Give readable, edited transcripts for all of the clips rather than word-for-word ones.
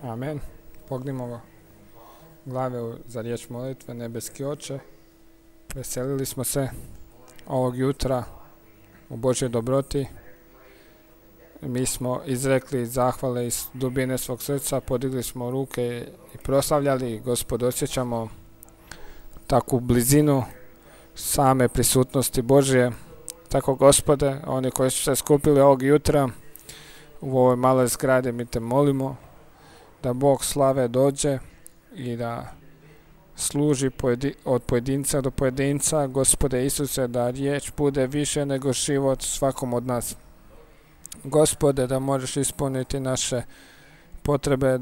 Amen. Pognimo glave za riječ molitve. Nebeski Oče, veselili smo se ovog jutra u Božoj dobroti. Mi smo izrekli zahvale iz dubine svog srca, podigli smo ruke i proslavljali. Gospod, osjećamo takvu blizinu same prisutnosti Božje. Tako, Gospode, oni koji su se skupili ovog jutra u ovoj maloj zgradi, mi te molimo da Bog slave dođe i da služi od pojedinca do pojedinca. Gospode Isuse, da riječ bude više nego život svakom od nas. Gospode, da možeš ispuniti naše potrebe,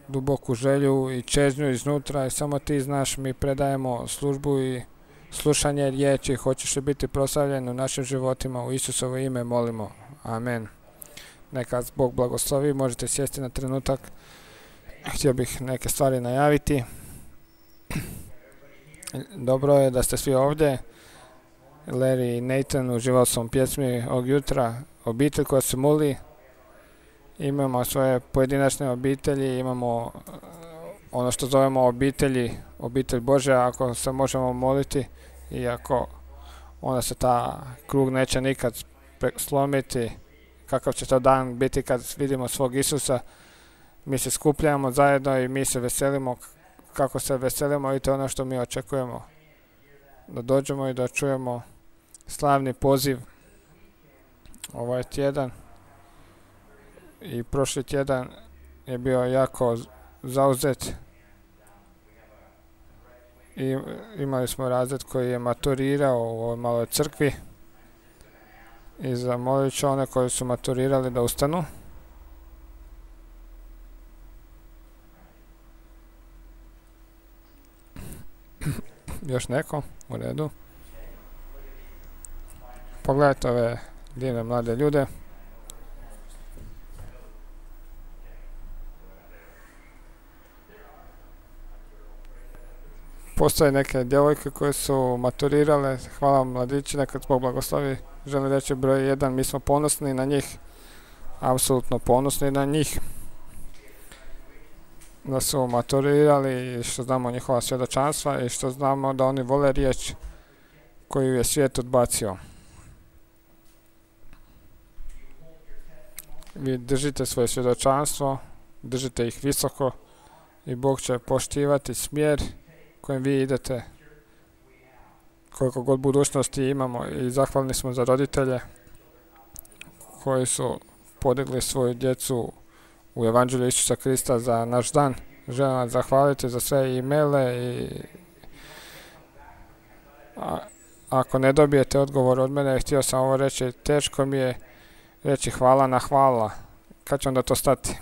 duboku želju i čežnju iznutra, i samo ti znaš. Mi predajemo službu i slušanje riječi. Hoćeš li biti proslavljen u našim životima, u Isusovo ime molimo. Amen. Neka Bog blagoslovi. Možete sjesti na trenutak. Htio bih neke stvari najaviti. Dobro je da ste svi ovdje. Larry i Nathan, uživao sam pjesmi ovog jutra. Obitelj koja se moli. Imamo svoje pojedinačne obitelji, imamo ono što zovemo obitelj Božja, ako se možemo moliti, i ako onda se ta krug neće nikad slomiti. Kakav će to dan biti kad vidimo svog Isusa? Mi se skupljamo zajedno i mi se veselimo kako se veselimo, i to je ono što mi očekujemo. Da dođemo i da čujemo slavni poziv ovaj tjedan. I prošli tjedan je bio jako zauzet. I imali smo razred koji je maturirao u ovoj maloj crkvi. I zamolit ću one koji su maturirali da ustanu. Još neko? U redu. Pogledajte ove divne mlade ljude. Postoje neke djevojke koje su maturirale. Hvala vam, mladići, neka Bog blagoslovi. Želim reći broj 1, mi smo ponosni na njih. Apsolutno ponosni na njih. Da su maturirali i što znamo njihova svjedočanstva i što znamo da oni vole riječ koju je svijet odbacio. Vi držite svoje svjedočanstvo, držite ih visoko i Bog će poštivati smjer kojim vi idete, koliko god budućnosti imamo. I zahvalni smo za roditelje koji su podigli svoju djecu u Evanđelju Isusa Krista za naš dan. Želim vam zahvaliti za sve e-maile i ako ne dobijete odgovor od mene, htio sam ovo reći, teško mi je reći hvala na hvala. Kad će onda to stati?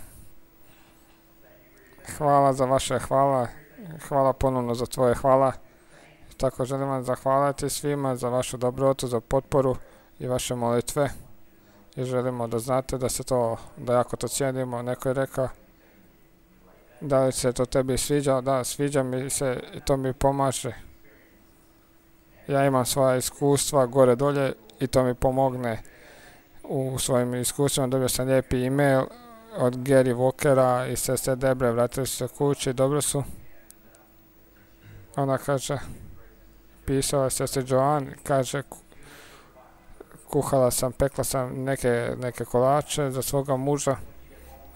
Hvala za vaše hvala ponovno za tvoje hvala. Tako želim vam zahvaliti svima za vašu dobrotu, za potporu i vaše molitve. I želimo da znate da jako to cijenimo. Neko je rekao, da li se to tebi sviđa? Da, sviđa mi se i to mi pomaže. Ja imam svoja iskustva gore dolje i to mi pomogne u svojim iskustvima. Dobio sam lijepi e-mail od Gary Walkera i sestre Debre, vratili su se kući, dobro su. Ona kaže, pisala je sestre Joan, kaže, pekla sam neke kolače za svoga muža,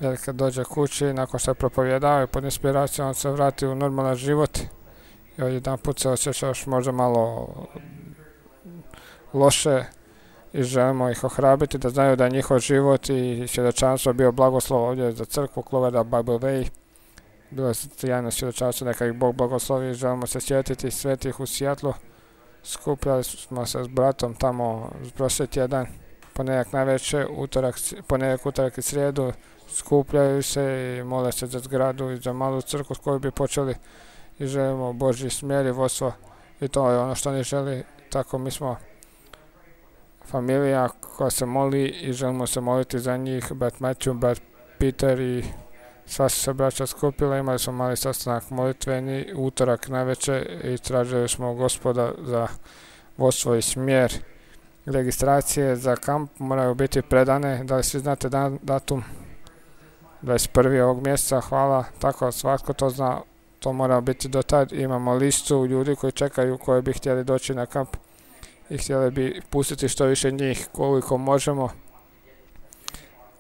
jer kad dođe kući, nakon što je propovjedao i pod inspiracijom, on se vrati u normalan život i jedan put se osjećaš možda malo loše i želimo ih ohrabriti da znaju da je njihov život i svjedočanstvo bio blagoslov ovdje za crkvu Cloverdale Bible Way. Bilo je sjajno svjedočanstvo, neka ih Bog blagoslovi i želimo se sjetiti svetih u Seattlu. Skupljali smo se s bratom tamo prošli tjedan, ponedjeljak navečer, ponedjeljak, utorak i srijedu, skupljaju se i mole se za zgradu i za malu crkvu s koju bi počeli i želimo Božji smjer i vodstvo, i to je ono što oni želi. Tako mi smo familija koja se moli i želimo se moliti za njih. Brat Matthew, brat Peter i sva su se braća skupila. Imali smo mali sastanak molitveni utorak navečer i tražili smo Gospoda za vodstvo i smjer. Registracije za kamp moraju biti predane. Da li svi znate datum? 21. ovog mjeseca, hvala, tako svatko to zna, to mora biti do tad. Imamo listu ljudi koji čekaju, koji bi htjeli doći na kamp i htjeli bi pustiti što više njih koliko možemo,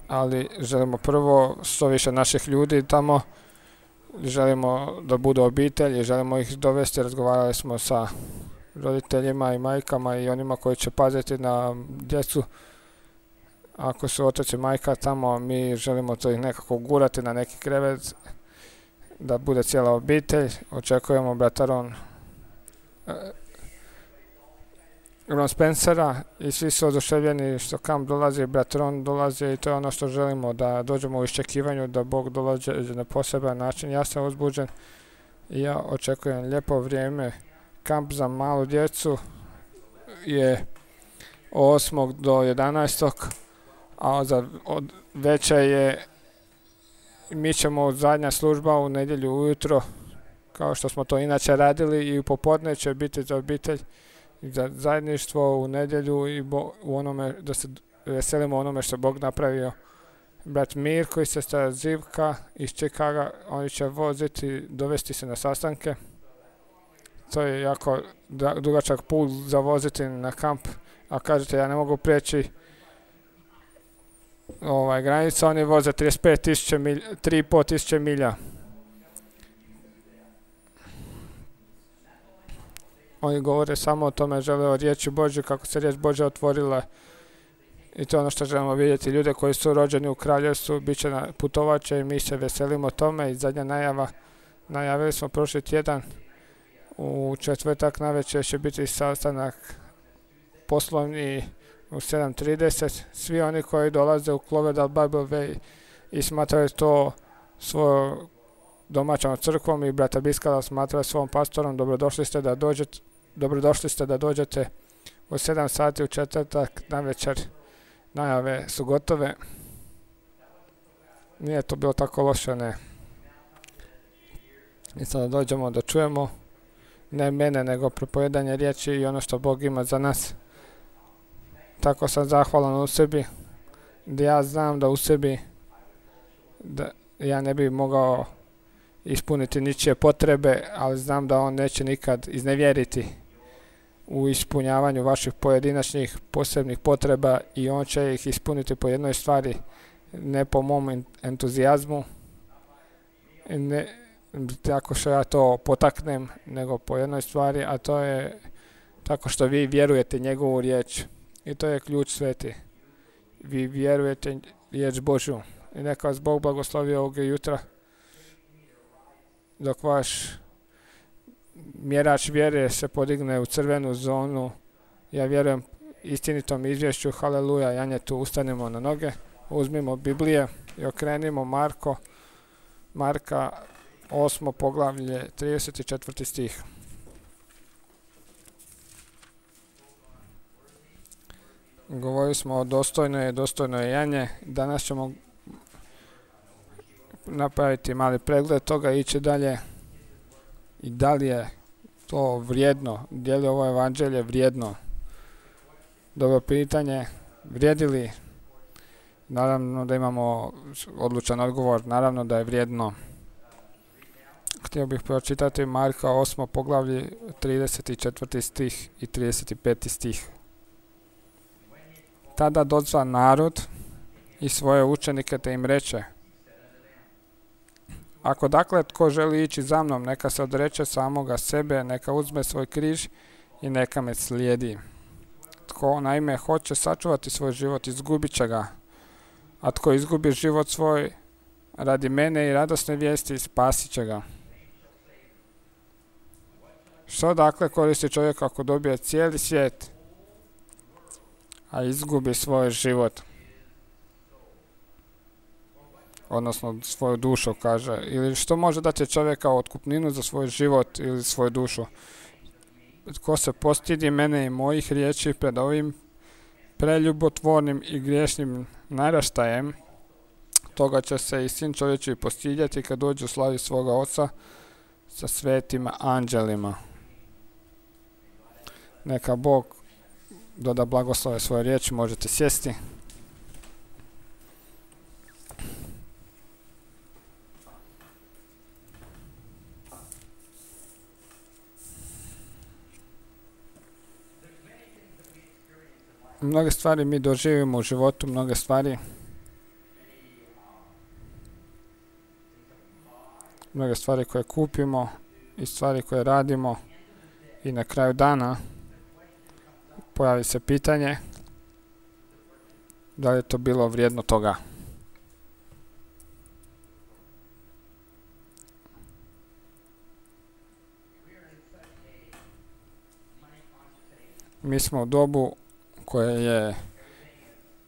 ali želimo prvo što više naših ljudi tamo, želimo da budu obitelji, želimo ih dovesti. Razgovarali smo sa roditeljima i majkama i onima koji će paziti na djecu. Ako su otac i majka tamo, mi želimo to ih nekako gurati na neki krevet, da bude cijela obitelj. Očekujemo brata Ron Spencera i svi su oduševljeni što kamp dolazi, brat Ron dolazi i to je ono što želimo, da dođemo u iščekivanju da Bog dolazi na poseban način. Ja sam uzbuđen i ja očekujem lijepo vrijeme. Kamp za malu djecu je 8. do 11. a od veće je, mi ćemo zadnja služba u nedjelju ujutro, kao što smo to inače radili, i u popodne će biti za obitelj i za zajedništvo u nedjelju i u onome da se veselimo onome što Bog napravio. Brat Mirko i sestra Zivka iz Chicaga, oni će voziti, dovesti se na sastanke. To je jako dugačak put za voziti na kamp, a kažete ja ne mogu prijeći granica, oni voze 3.500 milja. Oni govore samo o tome, žele o riječi Božje, kako se riječ Božja otvorila, i to je ono što želimo vidjeti. Ljude koji su rođeni u kraljevstvu bit će putovače i mi se veselimo tome. I zadnja najavili smo prošli tjedan, u četvrtak navečer će biti sastanak poslovni u 7:30. Svi oni koji dolaze u Cloverdale Bible Way i smatraju to svojom domaćom crkvom i brata Biskala smatraju svom pastorom, dobrodošli ste da dođete u 7 sati u četvrtak navečer. Najave su gotove. Nije to bilo tako loše, ne. I sada dođemo da čujemo ne mene, nego propovedanje riječi i ono što Bog ima za nas. Tako sam zahvalan u sebi, da ja znam da u sebi da ja ne bi mogao ispuniti ničije potrebe, ali znam da on neće nikad iznevjeriti u ispunjavanju vaših pojedinačnih posebnih potreba i on će ih ispuniti po jednoj stvari, ne po mom entuzijazmu, ne tako što ja to potaknem, nego po jednoj stvari, a to je tako što vi vjerujete njegovu riječ. I to je ključ sveti. Vi vjerujete riječ Božju. I neka vas Bog blagoslovi ovog jutra, dok vaš mjerač vjere se podigne u crvenu zonu. Ja vjerujem istinitom izvješću. Haleluja, Janjetu, ustanimo na noge, uzmimo Biblije i okrenimo Marka 8. poglavlje 34. stih. Govorili smo o dostojnoj Janje. Danas ćemo napraviti mali pregled toga i ići dalje. I da li je to vrijedno? Je li ovo evanđelje vrijedno? Dobro pitanje. Vrijedi li? Naravno da imamo odlučan odgovor. Naravno da je vrijedno. Htio bih pročitati Marka 8. poglavlje 34. stih i 35. stih. Tada dozva narod i svoje učenike te im reče: ako dakle tko želi ići za mnom, neka se odreče samoga sebe, neka uzme svoj križ i neka me slijedi. Tko naime hoće sačuvati svoj život, izgubit će ga, a tko izgubi život svoj radi mene i radosne vijesti, spasit će ga. Što dakle koristi čovjek ako dobije cijeli svijet, a izgubi svoj život? Odnosno svoju dušu, kaže. Ili što može dati čovjeka otkupninu za svoj život ili svoju dušu? Tko se postidi mene i mojih riječi pred ovim preljubotvornim i griješnim naraštajem, toga će se i sin čovječiji postidjeti kad dođe u slavi svoga oca sa svetim anđelima. Neka Bog doda blagoslove svoje riječi, možete sjesti. Mnoge stvari mi doživimo u životu, mnoge stvari koje kupimo i stvari koje radimo i na kraju dana pojavi se pitanje da li je to bilo vrijedno toga. Mi smo u dobu koje je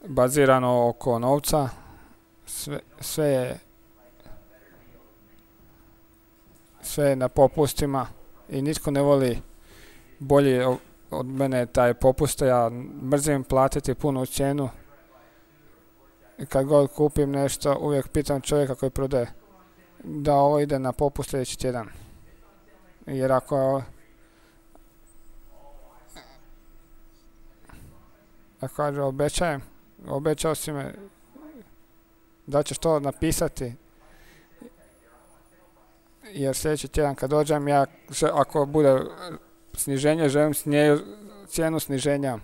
bazirano oko novca, sve je na popustima i nitko ne voli bolje od mene taj popust. Ja mrzim platiti punu cijenu i kad god kupim nešto uvijek pitam čovjeka koji prodaje da ovo ide na popust sljedeći tjedan, jer ako kaže obećao si me da ćeš to napisati, jer sljedeći tjedan kad dođem ja, ako bude sniženje, želim cijenu sniženja.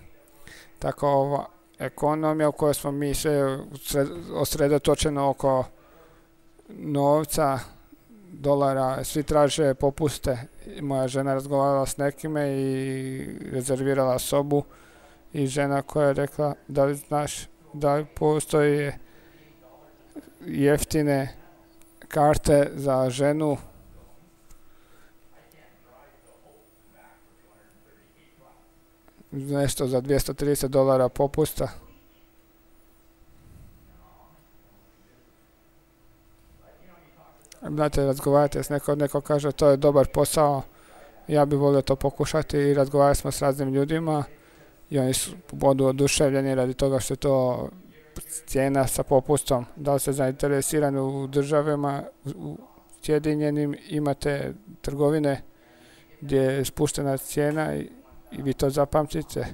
Tako ova ekonomija u kojoj smo mi sve osredotočeno oko novca, dolara, svi traže popuste. Moja žena razgovarala s nekime i rezervirala sobu i žena koja je rekla da li znaš da li postoje jeftine karte za ženu nešto za $230 popusta. Znate, razgovarate s neko kaže to je dobar posao, ja bih volio to pokušati i razgovarali smo s raznim ljudima i oni su budu oduševljeni radi toga što je to cijena sa popustom. Da li ste zainteresirani u državama, u Sjedinjenim imate trgovine gdje je spuštena cijena i vi to zapamtite.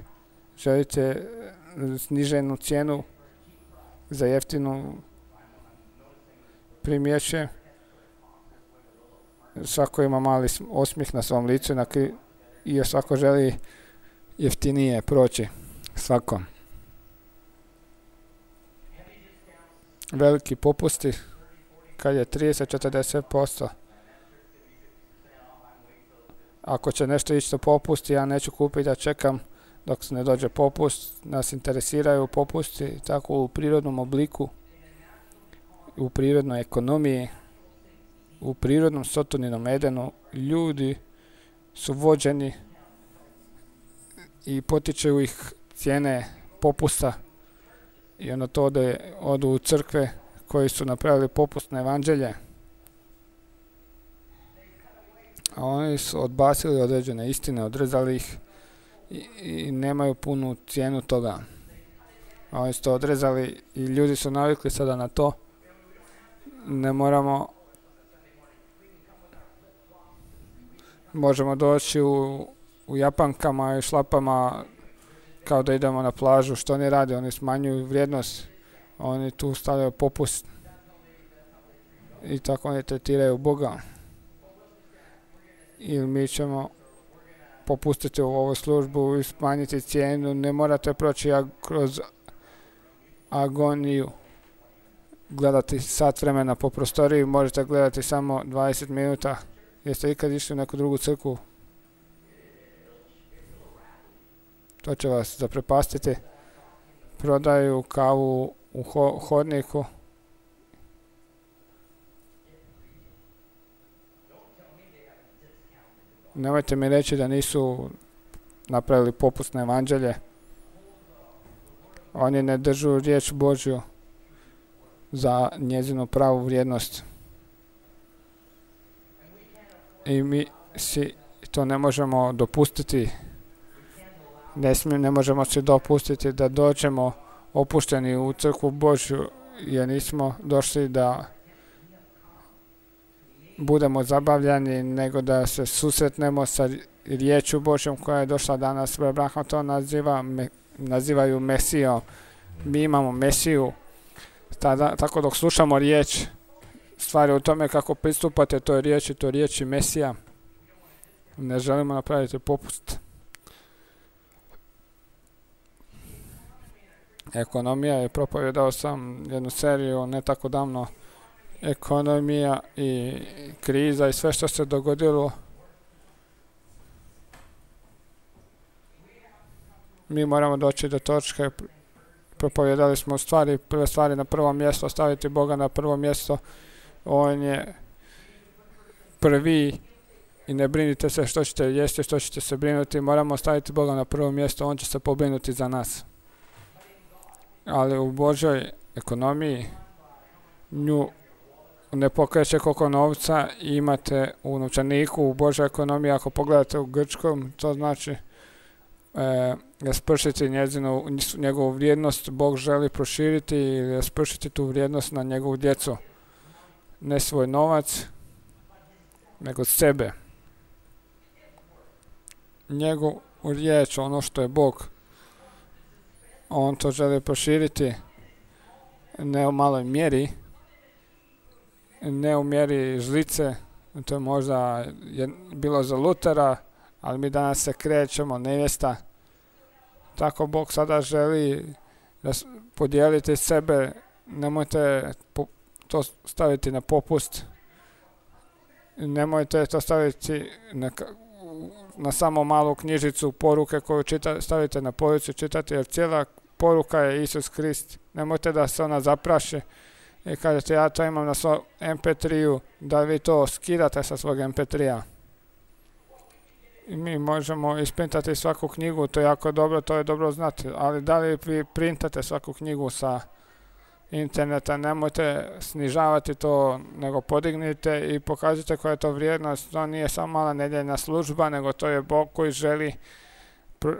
Želite sniženu cijenu za jeftinu primjeće. Svako ima mali osmijeh na svom licu i svako želi jeftinije proći. Svako. Veliki popusti kad je 30-40%. Ako će nešto ići do popusti, ja neću kupiti da čekam dok se ne dođe popust. Nas interesiraju popusti tako u prirodnom obliku, u prirodnoj ekonomiji, u prirodnom Sotoninom Edenu. Ljudi su vođeni i potiču ih cijene popusta i onda to odu u crkve koji su napravili popustne evanđelje. A oni su odbacili određene istine, odrezali ih i nemaju punu cijenu toga. A oni su to odrezali i ljudi su navikli sada na to. Ne možemo doći u japankama i šlapama kao da idemo na plažu. Što oni rade? Oni smanjuju vrijednost. Oni tu stavljaju popust i tako oni tretiraju Boga. Ili mi ćemo popustiti u ovu službu i smanjiti cijenu. Ne morate proći kroz agoniju, gledati sat vremena po prostoriji, možete gledati samo 20 minuta. Jeste ikad išli u neku drugu crkvu? To će vas zaprepastiti. Prodaju kavu u hodniku. Nemojte mi reći da nisu napravili popustne evanđelje. Oni ne držu riječ Božju za njezinu pravu vrijednost. I mi si to ne možemo dopustiti. Ne možemo si dopustiti da dođemo opušteni u crkvu Božju, jer nismo došli da budemo zabavljani, nego da se susretnemo sa riječju Božjom koja je došla danas. Abraham to nazivaju Mesijom. Mi imamo Mesiju. Tako dok slušamo riječ, stvari u tome kako pristupate toj riječi Mesija. Ne želimo napraviti popust. ekonomija i propovijedao sam jednu seriju ne tako davno, ekonomija i kriza i sve što se dogodilo. Mi moramo doći do točke, propovijedali smo prve stvari na prvo mjesto, staviti Boga na prvo mjesto. On je prvi i ne brinite se što ćete jesti, što ćete se brinuti. Moramo staviti Boga na prvo mjesto, On će se pobrinuti za nas. Ali u Božoj ekonomiji nju ne pokreće koliko novca imate u novčaniku. U Božoj ekonomiji, ako pogledate u grčkom, to znači raspršiti njegovu vrijednost. Bog želi proširiti i raspršiti tu vrijednost na njegovu djecu. Ne svoj novac, nego sebe. Njegovu riječ, ono što je Bog, On to želi proširiti ne u maloj mjeri, ne u mjeri žlice. To je možda bilo za Lutera, ali mi danas se krećemo nevjesta. Tako Bog sada želi podijeliti sebe. Nemojte to staviti na popust. Nemojte to staviti na samo malu knjižicu poruke koju stavite na policu čitati, jer cijela poruka je Isus Krist. Nemojte da se ona zapraši i kažete ja to imam na svom MP3-u, da vi to skidate sa svog MP3-a. I mi možemo isprintati svaku knjigu, to je jako dobro, to je dobro znati, ali da li vi printate svaku knjigu sa interneta, nemojte snižavati to, nego podignite i pokažite koja je to vrijednost. To nije samo mala nedjeljna služba, nego to je Bog koji želi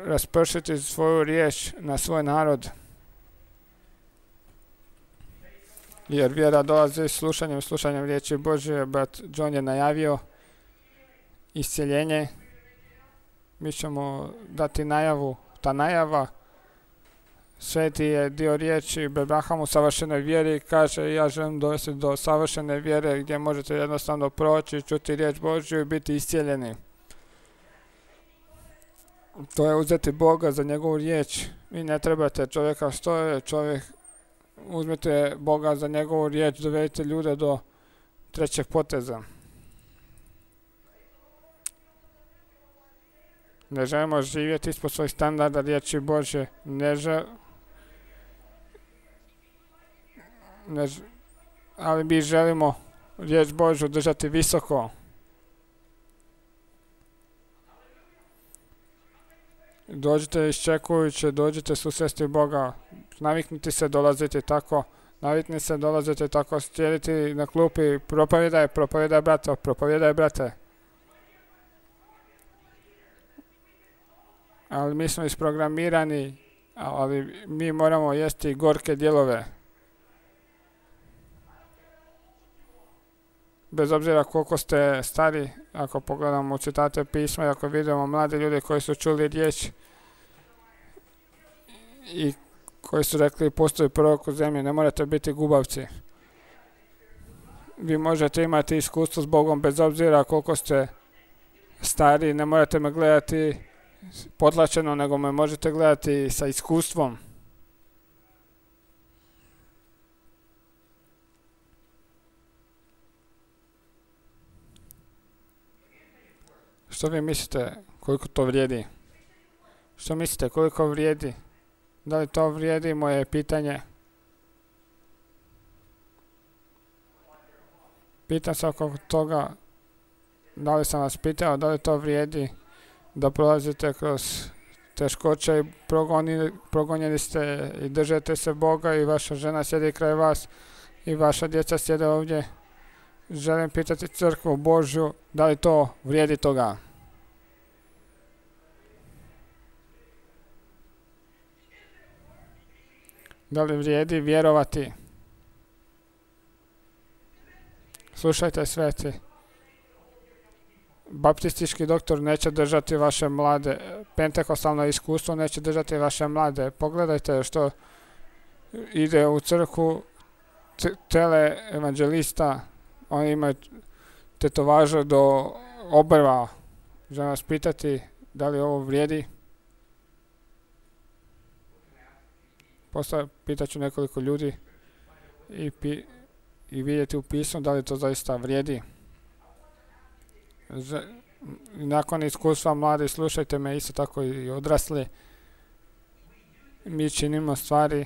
raspršiti svoju riječ na svoj narod. Jer vjera dolazi slušanjem riječi Božje. Brat John je najavio isceljenje. Mi ćemo dati najavu. Ta najava, Sveti je dio riječi Abraham u savršenoj vjeri, kaže ja želim dovesti do savršene vjere gdje možete jednostavno proći, čuti riječ Božju i biti iscijeljeni. To je uzeti Boga za njegovu riječ. Vi ne trebate čovjeka što je čovjek. Uzmite Boga za njegovu riječ, dovedite ljude do trećeg poteza. Ne želimo živjeti ispod svojih standarda riječi Božje. Ali mi želimo riječ Božju držati visoko. Dođite iščekujući, dođite susresti Boga. Naviknite se dolaziti tako. Navikni se dolaziti tako, sjediti na klupi, propovijedaj brate. Ali mi smo isprogramirani, ali mi moramo jesti gorke dijelove. Bez obzira koliko ste stari, ako pogledamo citate pisma i ako vidimo mlade ljude koji su čuli riječ i koji su rekli postoji prorok u zemlji, ne morate biti gubavci. Vi možete imati iskustvo s Bogom bez obzira koliko ste stari, ne morate me gledati potlačeno, nego me možete gledati sa iskustvom. Što vi mislite koliko to vrijedi? Što mislite koliko vrijedi? Da li to vrijedi, moje pitanje? Pitam se oko toga, da li sam vas pitao, da li to vrijedi da prolazite kroz teškoće i progonjeni ste i držite se Boga i vaša žena sjedi kraj vas i vaša djeca sjede ovdje. Želim pitati crkvu Božju, da li to vrijedi toga? Da li vrijedi vjerovati? Slušajte sveti. Baptistički doktor neće držati vaše mlade. Pentekostalno iskustvo neće držati vaše mlade. Pogledajte što ide u crkvu tele evanđelista. Oni imaju tetovaže do obrva. Želim vas pitati da li ovo vrijedi. Pitaću nekoliko ljudi i vidjeti u pismu da li to zaista vrijedi. Nakon iskustva mladi, slušajte me, isto tako i odrasli. Mi činimo stvari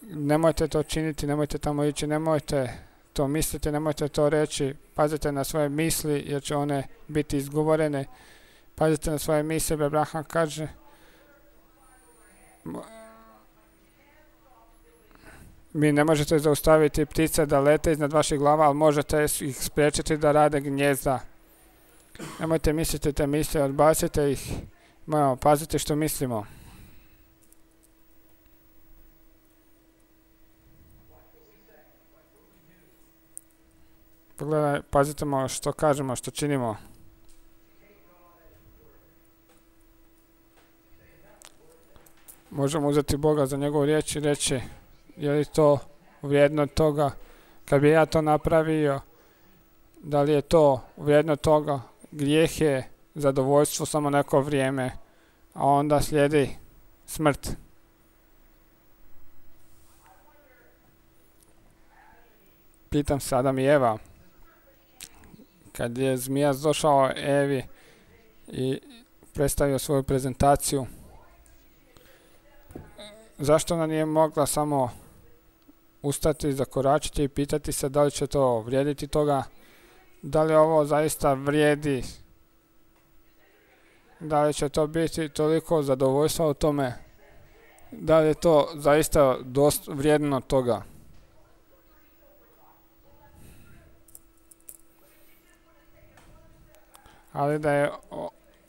nemojte to činiti, nemojte tamo ići, nemojte to misliti, nemojte to reći. Pazite na svoje misli jer će one biti izgovorene. Pazite na svoje misli, Abraham kaže. Mi ne možete zaustaviti ptice da lete iznad vaših glava, ali možete ih spriječiti da rade gnjezda. Nemojte misliti te misli, odbacite ih. Moramo paziti što mislimo. Pogledaj, pazite što kažemo, što činimo. Možemo uzeti Boga za njegovu riječ i reći, je li to vrijedno toga? Kad bi ja to napravio, da li je to vrijedno toga? Grijeh je zadovoljstvo samo neko vrijeme, a onda slijedi smrt. Pitam se Adam i Eva, kad je zmija došao Evi i predstavio svoju prezentaciju, zašto ona nije mogla samo ustati, zakoračiti i pitati se da li će to vrijediti toga, da li ovo zaista vrijedi, da li će to biti toliko zadovoljstva u tome, da li je to zaista vrijedno toga. Ali da je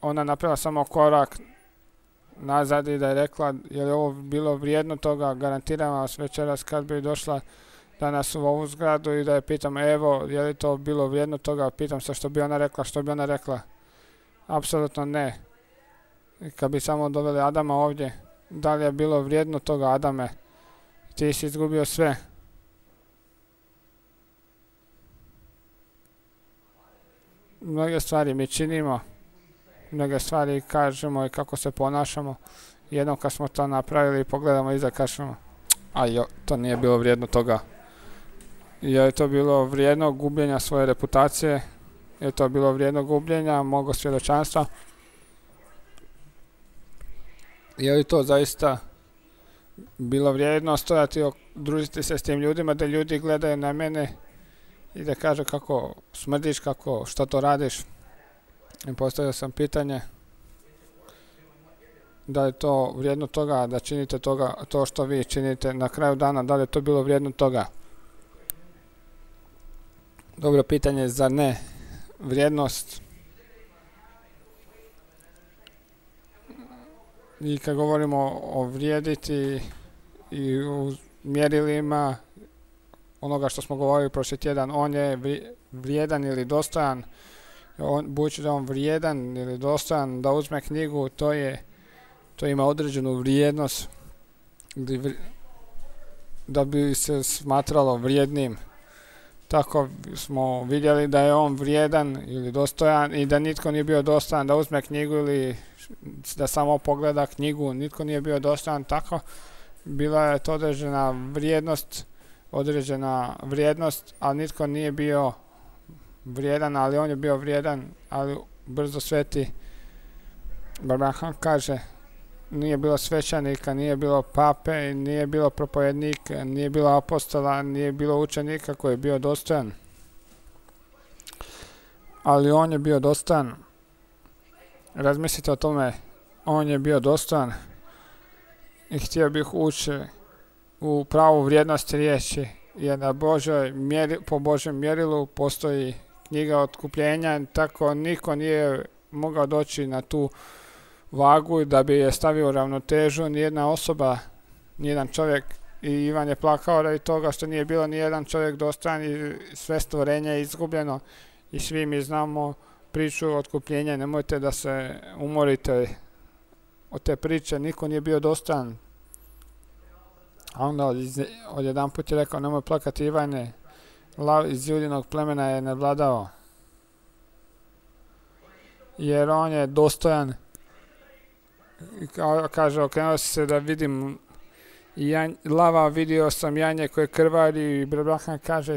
ona napravila samo korak nazad i da je rekla, je li ovo bilo vrijedno toga, garantiram vas večeras kad bi došla danas u ovu zgradu i da je pitam, evo, je li to bilo vrijedno toga, pitam se što bi ona rekla, apsolutno ne. I kad bi samo doveli Adama ovdje, da li je bilo vrijedno toga, Adame, ti si izgubio sve. Mnoge stvari mi činimo, mnoge stvari kažemo i kako se ponašamo. Jednom kad smo to napravili, pogledamo iza, kažemo, to nije bilo vrijedno toga. Je to bilo vrijedno gubljenja svoje reputacije? Je to bilo vrijedno gubljenja mog svjedočanstva? Je li to zaista bilo vrijedno stojati, družiti se s tim ljudima, da ljudi gledaju na mene i da kažu kako smrdiš, što to radiš? I postavio sam pitanje, da li je to vrijedno toga da činite to što vi činite na kraju dana, da li je to bilo vrijedno toga? Dobro pitanje, zar ne? Vrijednost. I kad govorimo o vrijediti i u mjerilima onoga što smo govorili prošli tjedan, on je vrijedan ili dostojan. Budući da on vrijedan ili dostojan da uzme knjigu, to ima određenu vrijednost da bi se smatralo vrijednim. Tako smo vidjeli da je on vrijedan ili dostojan i da nitko nije bio dostojan da uzme knjigu ili da samo pogleda knjigu, nitko nije bio dostojan. Tako bila je to određena vrijednost, ali nitko nije bio vrijedan, ali on je bio vrijedan, ali brzo sveti. Abraham kaže, nije bilo svećenika, nije bilo pape, nije bilo propovednika, nije bilo apostola, nije bilo učenika koji je bio dostojan. Ali on je bio dostojan. Razmislite o tome, on je bio dostojan i htio bih ući u pravu vrijednost riječi, jer po Božjem mjerilu postoji knjiga otkupljenja, tako niko nije mogao doći na tu vagu da bi je stavio u ravnotežu, nijedna osoba, nijedan čovjek. I Ivan je plakao radi toga što nije bilo nijedan čovjek dostojan i sve stvorenje je izgubljeno. I svi mi znamo priču otkupljenja, nemojte da se umorite od te priče, niko nije bio dostojan. A onda odjedan put je rekao, nemoj plakati Ivane, lav iz Judinog plemena je nadvladao. jer on je dostojan. Kaže, okrenuo se da vidim lava, vidio sam janje koje krvari i Abraham kaže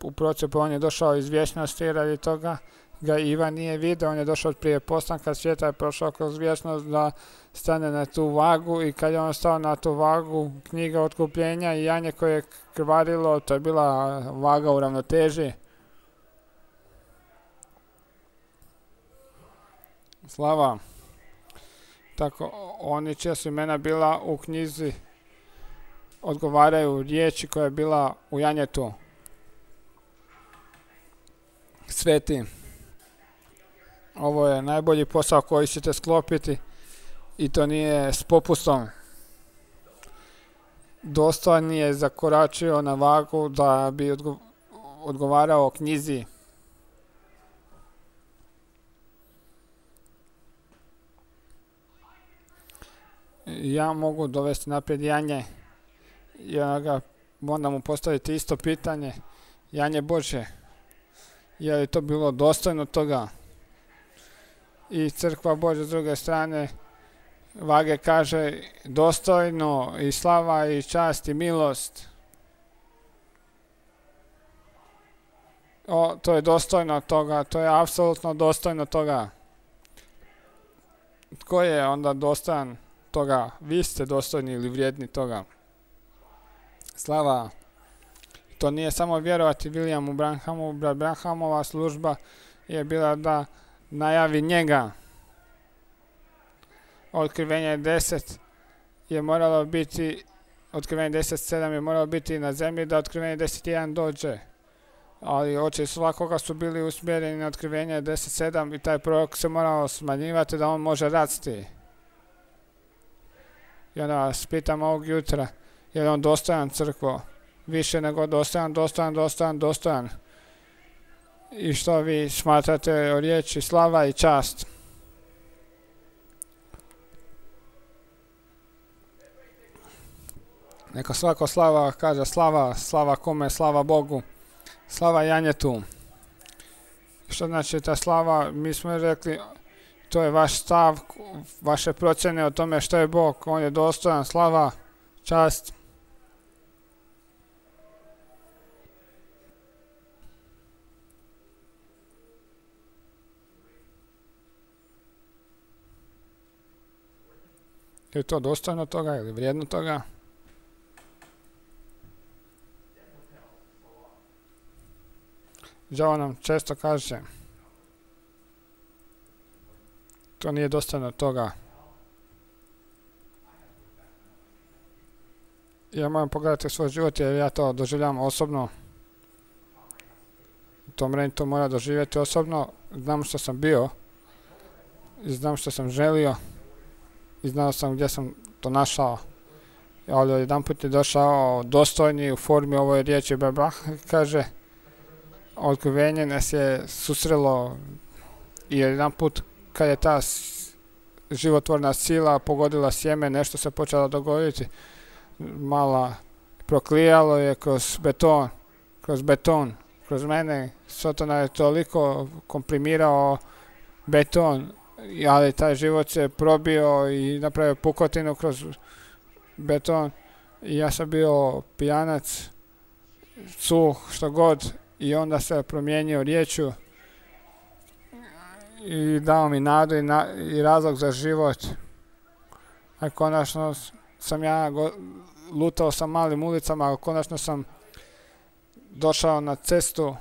u procepu on je došao iz vječnosti, radi toga ga Ivan nije vidio, on je došao od prije postanka svijeta, je prošao kroz vječnost da stane na tu vagu i kad je on stao na tu vagu, knjiga otkupljenja i janje koje je krvarilo, to je bila vaga u ravnoteži. Slava. Tako, oni čija su imena bila u knjizi odgovaraju riječi koja je bila u janjetu. Sveti. Ovo je najbolji posao koji ćete sklopiti i to nije s popustom. Dostojan je zakoračio na vagu da bi odgovarao knjizi. Ja mogu dovesti naprijed janje i onda mu postaviti isto pitanje, janje Božje, je li to bilo dostojno toga? I crkva Božja s druge strane vage kaže dostojno i slava i čast i milost. To je dostojno toga, to je apsolutno dostojno toga. Tko je onda dostojan toga? Vi ste dostojni ili vrijedni toga. Slava. To nije samo vjerovati Williamu Branhamu. Branhamova služba je bila da najavi njega. Otkrivenje 10 je moralo biti, otkrivenje 10.7 je moralo biti na zemlji da otkrivenje 10.1 dođe. Ali oči svakoga su bili usmjereni na otkrivenje 10.7 i taj prorok se morao smanjivati da on može rasti. I onda vas pitam ovog jutra, je li on dostojan crkvo? Više nego dostojan. I što vi smatrate o riječi slava i čast? Neka svako slava kaže slava kome, slava Bogu, slava janjetu. Što znači ta slava? Mi smo rekli, to je vaš stav, vaše procjene o tome što je Bog, on je dostojan, slava, čast. Je to dostojno toga ili vrijedno toga? Đavo nam često kaže to nije dostojno toga. Ja moram pogledati svoj život jer ja to doživljavam osobno. To mora doživjeti osobno. Znam što sam bio i znam što sam želio i znao sam gdje sam to našao. Ali jedan put je došao dostojni u formi ovoj riječi Baba, kaže otkrivenje nas je susrelo i jedan put kad je ta životvorna sila pogodila sjeme, nešto se počelo dogoditi. Mala proklijalo je kroz mene. Sotona je toliko komprimirao beton, ali taj život se probio i napravio pukotinu kroz beton. I ja sam bio pijanac, suh, što god. I onda se promijenio riječju i dao mi nadu i razlog za život. A konačno sam lutao sa malim ulicama, a konačno sam došao na cestu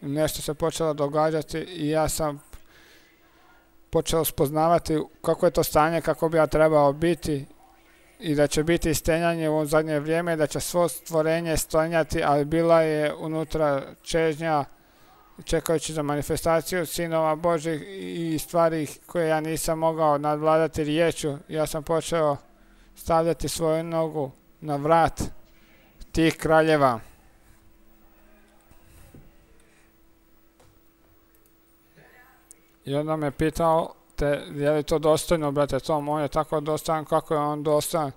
i nešto se počelo događati i ja sam počeo spoznavati kako je to stanje, kako bi ja trebao biti i da će biti stenjanje u zadnje vrijeme, da će svo stvorenje stenjati, ali bila je unutra čežnja čekajući za manifestaciju sinova Božih i stvari koje ja nisam mogao nadvladati riječju. Ja sam počeo stavljati svoju nogu na vrat tih kraljeva. I onda me pitao je li to dostojno, brate Tom, on je tako dostojan, kako je on dostojan.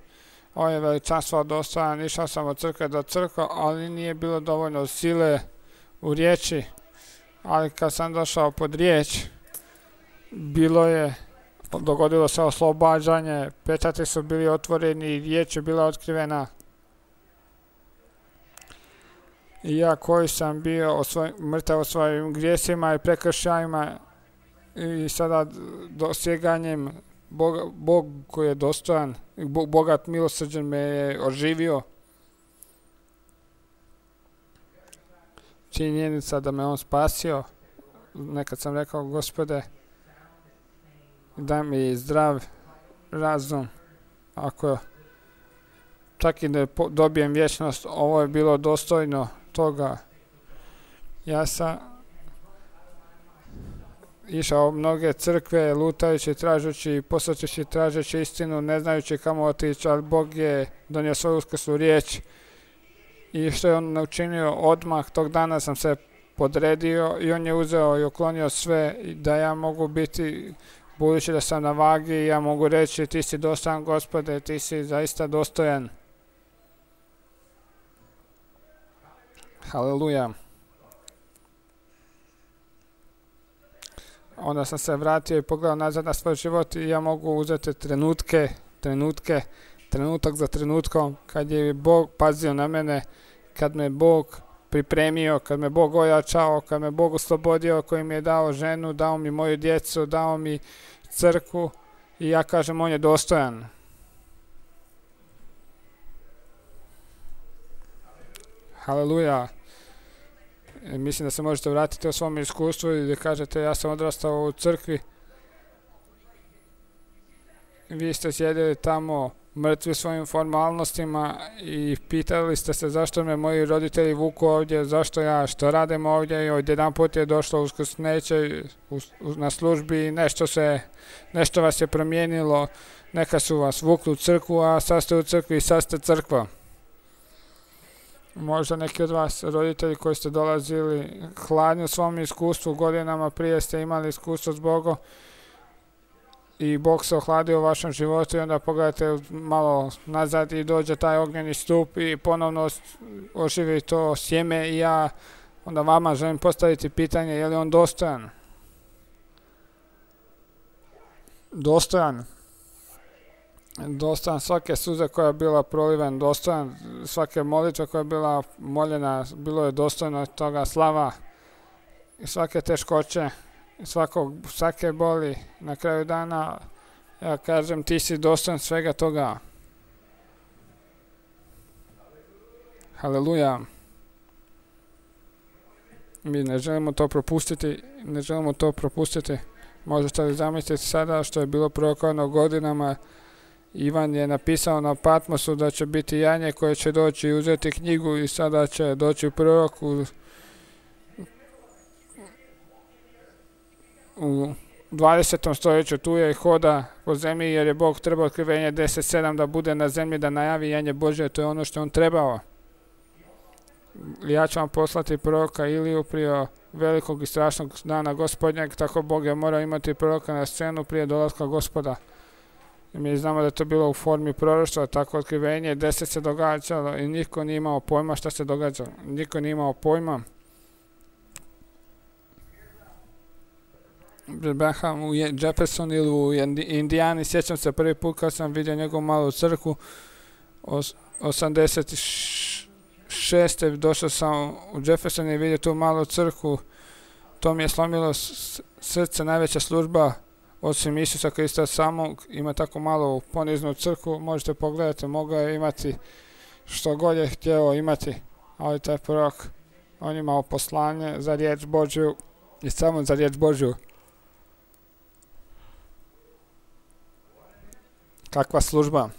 On je veličanstvo dostojan, išao sam od crkve do crkve, ali nije bilo dovoljno sile u riječi. Ali kad sam došao pod riječ, dogodilo se oslobađanje, pečati su bili otvoreni i riječ je bila otkrivena. I ja koji sam bio mrtav o svojim grijesima i prekršajima i sada dosjeganjem Bog koji je dostojan, bogat milosrđen me je oživio. Činjenica da me on spasio. Nekad sam rekao, Gospode, daj mi zdrav razum. Ako čak i da dobijem vječnost, ovo je bilo dostojno toga. Ja sam išao u mnoge crkve, lutajući, tražući, posvećujući, tražeći istinu, ne znajući kamo otići, ali Bog je donio svoju uskrslu riječ. I što je on učinio odmah, tog dana sam se podredio i on je uzeo i uklonio sve da ja mogu biti, budući da sam na vagi, ja mogu reći ti si dostojan, Gospode, ti si zaista dostojan. Haleluja. Onda sam se vratio i pogledao nazad na svoj život i ja mogu uzeti trenutak za trenutkom, kad je Bog pazio na mene, kad me Bog pripremio, kad me Bog ojačao, kad me Bog oslobodio, koji mi je dao ženu, dao mi moju djecu, dao mi crkvu i ja kažem on je dostojan. Haleluja. Mislim da se možete vratiti u svom iskustvu i da kažete ja sam odrastao u crkvi. Vi ste sjedili tamo mrtvi svojim formalnostima i pitali ste se zašto me moji roditelji vuku ovdje, zašto ja, što radim ovdje i odjedan put je došlo uskrsneće na službi i nešto vas je promijenilo, neka su vas vukli u crkvu, a sad ste u crkvi i sad ste crkva. Možda neki od vas roditelji koji ste dolazili hladni u svom iskustvu, godinama prije ste imali iskustvo s Bogom i Bog se ohladio u vašem životu i onda pogledajte malo nazad i dođe taj ognjeni stup i ponovno oživi to sjeme i ja onda vama želim postaviti pitanje je li on dostojan? Dostojan svake suze koja je bila proliven, dostojan svake molitve koja je bila moljena, bilo je dostojno toga slava i svake teškoće, svake boli. Na kraju dana ja kažem ti si dostojan svega toga. Haleluja. Mi ne želimo to propustiti. Možete li zamisliti sada što je bilo prorokovano godinama? Ivan je napisao na Patmosu da će biti janje koje će doći i uzeti knjigu i sada će doći prorok u 20. stoljeću tu je i hoda po zemlji jer je Bog trebao otkrivenje 10.7 da bude na zemlji da najavi janje Božje, to je ono što on trebao. Ja ću vam poslati proroka Iliju prije velikog i strašnog dana Gospodnjeg, tako Bog je morao imati proroka na scenu prije dolaska Gospoda. I mi znamo da je to bilo u formi proroštva, tako otkrivenje 10 se događalo i niko nije imao pojma šta se događa. Niko nije imao pojma. Abraham u Jefferson ili u Indijani, sjećam se prvi put kad sam vidio njegovu malu crkvu, 86. došao sam u Jefferson i vidio tu malu crkvu, to mi je slomilo srce, najveća služba osim Isusa Krista samog, ima tako malo poniznu crkvu, možete pogledati, mogao je imati što god je htjeo imati, ali taj prorok, on imao poslanje za riječ Božju i samo za riječ Božju. Kakva služba?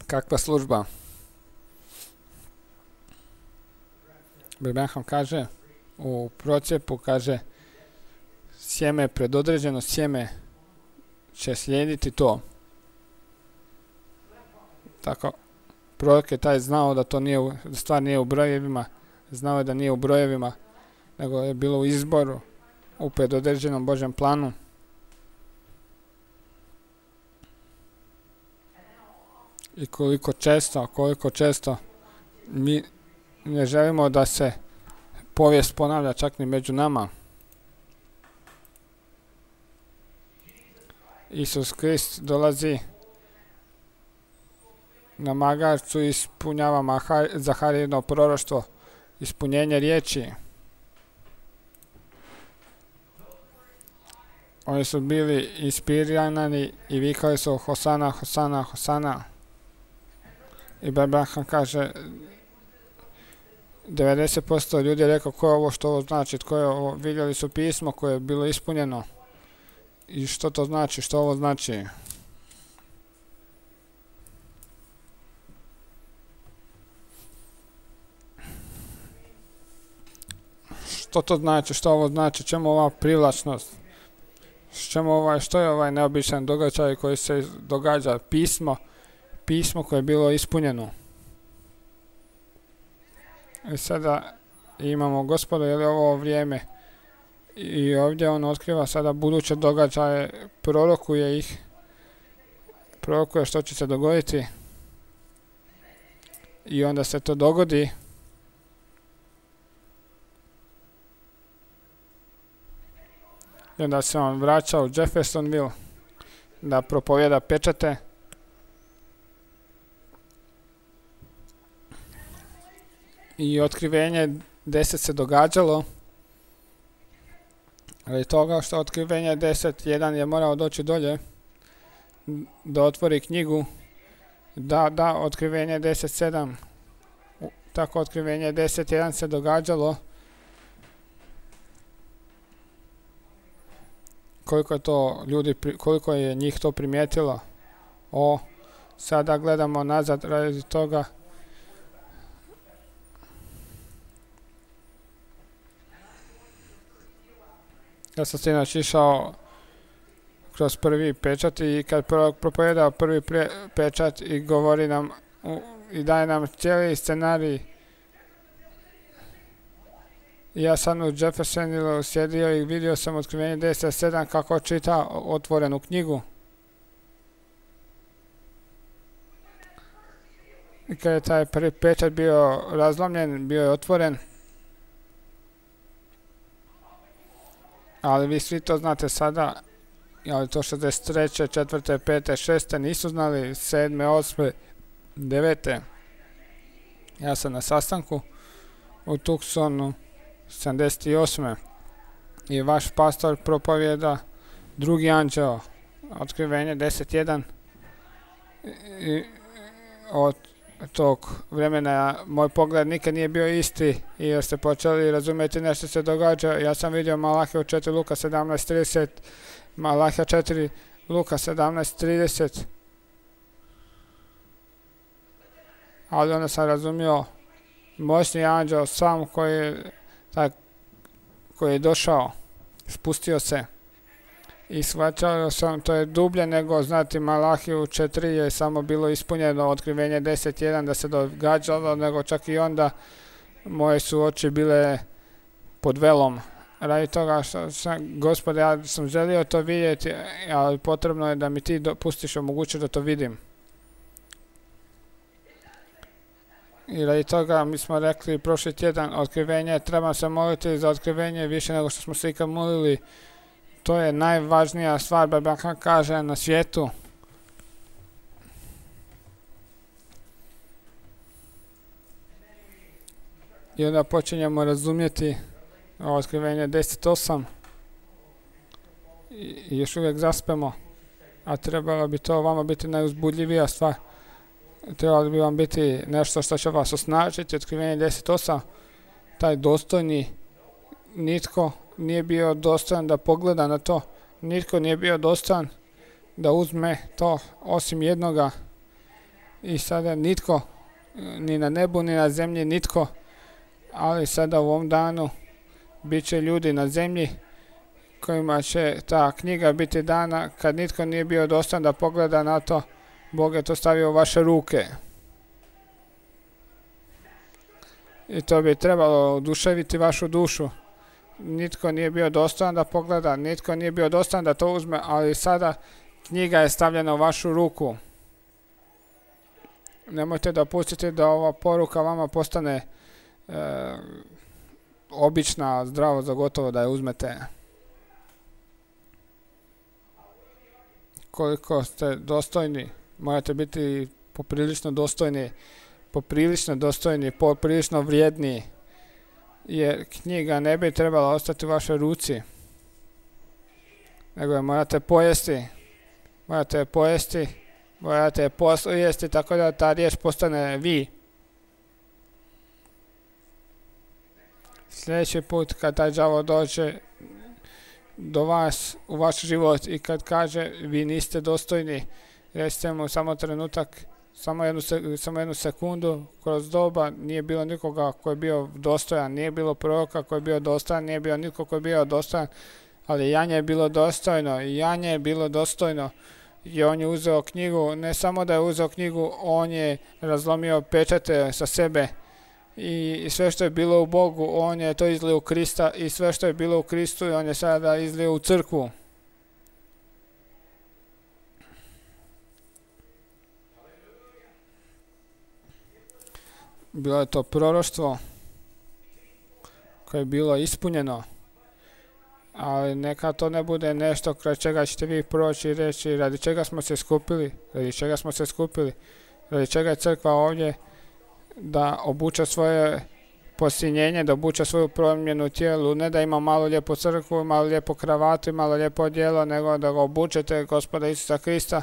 Kakva služba? Abraham kaže u procjepu, kaže sjeme, predodređeno sjeme će slijediti to. Tako, prorok je taj znao da to nije, da stvar nije u brojevima, znao je da nije u brojevima, nego je bilo u izboru, u predodređenom Božjem planu. I koliko često Mi ne želimo da se povijest ponavlja čak ni među nama. Isus Krist dolazi na magarcu i ispunjava Zaharijino proroštvo, ispunjenje riječi. Oni su bili inspirirani i vikali su Hosana, Hosana, Hosana. I Abraham kaže, 90% ljudi je rekao ko je ovo, što ovo znači, tko je ovo, vidjeli su pismo koje je bilo ispunjeno. I što to znači, što ovo znači? Što to znači, što ovo znači, čemu ova privlačnost? Što je ovaj neobičan događaj koji se događa? Pismo koje je bilo ispunjeno. I sada imamo Gospoda, je li ovo vrijeme? I ovdje on otkriva sada buduće događaje, prorokuje ih, prorokuje što će se dogoditi. I onda se to dogodi. I onda se on vraća u Jeffersonville da propovjeda pečate. I otkrivenje 10 se događalo. Ali toga što otkrivenje 10.1 je morao doći dolje da otvori knjigu. Da, otkrivenje 10.7. Tako otkrivenje 10.1 se događalo. Koliko je njih to primijetilo. Sada gledamo nazad radi toga. Ja sam sinoć išao kroz prvi pečat i kad propovedao prvi pečat i govori nam i daje nam cijeli scenarij. Ja sam u Jeffersonville sjedio i vidio sam otkrivenje 10.7 kako čita otvorenu knjigu. I kad je taj prvi pečat bio razlomljen, bio je otvoren. Ali vi svi to znate sada, ali to 63. 4. 5. 6. nisu znali, 7. 8. 9. Ja sam na sastanku u Tucsonu 78. I vaš pastor propovjeda drugi anđeo, otkrivenje 10.1. I od tog vremena moj pogled nikad nije bio isti i jer ste počeli razumjeti nešto se događa. Ja sam vidio Malahiju 4, Luka 17.30, Malahija 4, Luka 17.30. Ali onda sam razumio moćni anđeo sam koji je došao, spustio se. I shvaćao sam, to je dublje nego znati Malahiju 4 je samo bilo ispunjeno otkrivenje 10.1 da se događalo, nego čak i onda moje su oči bile pod velom. Radi toga što sam, Gospode, ja sam želio to vidjeti, ali potrebno je da mi ti dopustiš omogućiti da to vidim. I radi toga mi smo rekli prošli tjedan otkrivenje, trebam se moliti za otkrivenje više nego što smo se ikad molili. To je najvažnija stvar, Biblia kaže, na svijetu. I onda počinjemo razumjeti otkrivenje 10.8 i još uvijek zaspemo, a trebalo bi to vama biti najuzbudljivija stvar. Trebalo bi vam biti nešto što će vas osnažiti, otkrivenje 10.8, taj dostojni, nitko nije bio dostojan da pogleda na to, nitko nije bio dostojan da uzme to osim jednoga. I sada nitko, ni na nebu ni na zemlji nitko, ali sada u ovom danu bit će ljudi na zemlji kojima će ta knjiga biti dana. Kad nitko nije bio dostojan da pogleda na to, Bog je to stavio u vaše ruke. I to bi trebalo oduševiti vašu dušu. Nitko nije bio dostojan da pogleda, nitko nije bio dostojan da to uzme, ali sada knjiga je stavljena u vašu ruku. Nemojte dopustiti da ova poruka vama postane obična, zdravo za gotovo da je uzmete. Koliko ste dostojni, morate biti poprilično dostojni, poprilično vrijedni, jer knjiga ne bi trebala ostati u vašoj ruci, nego je morate je poslijesti tako da ta riječ postane vi. Sljedeći put kad taj đavo dođe do vas u vaš život i kad kaže vi niste dostojni, recite mu samo trenutak, samo jednu sekundu, kroz doba nije bilo nikoga koji je bio dostojan, nije bilo proroka koji je bio dostojan, nije bio niko koji je bio dostojan, ali Janje je bilo dostojno i on je uzeo knjigu, ne samo da je uzeo knjigu, on je razlomio pečate sa sebe i sve što je bilo u Bogu, on je to izlio u Krista i sve što je bilo u Kristu, on je sada izlio u crkvu. Bilo je to proroštvo koje je bilo ispunjeno, ali neka to ne bude nešto kraj čega ćete vi proći i reći radi čega smo se skupili, radi čega je crkva ovdje, da obuče svoje posinjenje, da obuče svoju promjenu tijelu, ne da ima malo lijepu crkvu, malo lijepo kravatu i malo lijepo odijelo, nego da ga obučete Gospoda Isusa Krista.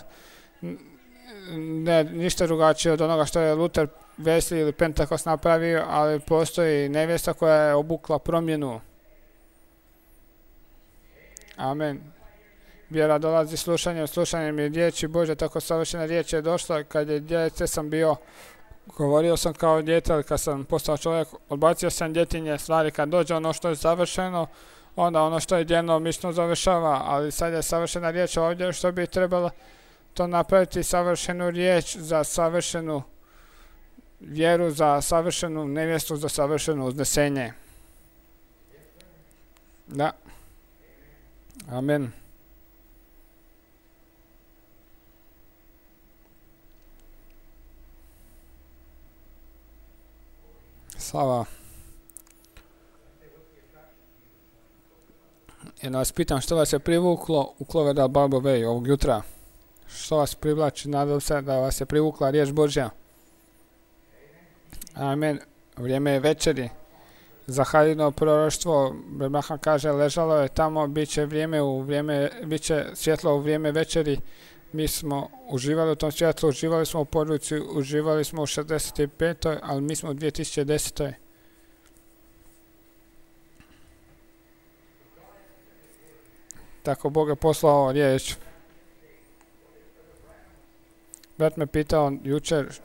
Ne, ništa drugačije od onoga što je Luther, Wesley ili Pentekost napravio, ali postoji nevjesta koja je obukla promjenu. Amen. Vjera dolazi slušanjem je riječi Bože, tako savršena riječ je došla. Kad je djece sam bio, govorio sam kao dijete, ali kad sam postao čovjek, odbacio sam djetinje stvari. Kad dođe ono što je završeno, onda ono što je djelomično završava, ali sad je savršena riječ ovdje, što bi trebalo to napraviti, savršenu riječ za savršenu vjeru, za savršenu nevjestu, za savršeno uznesenje. Da. Amen. Slava. Jedno vas pitam, što vas je privuklo u Cloverdale Bible Way ovog jutra? Što vas privlači? Nadam se da vas je privukla riječ Božja. Amen. Vrijeme je večeri. Za Haljino proroštvo, Branham kaže, ležalo je tamo, bit će svjetlo u vrijeme večeri. Mi smo uživali u tom svjetlu, uživali smo u poruci, uživali smo u 65. ali mi smo u 2010. Tako Bog je poslao riječ. Brat me pitao jučer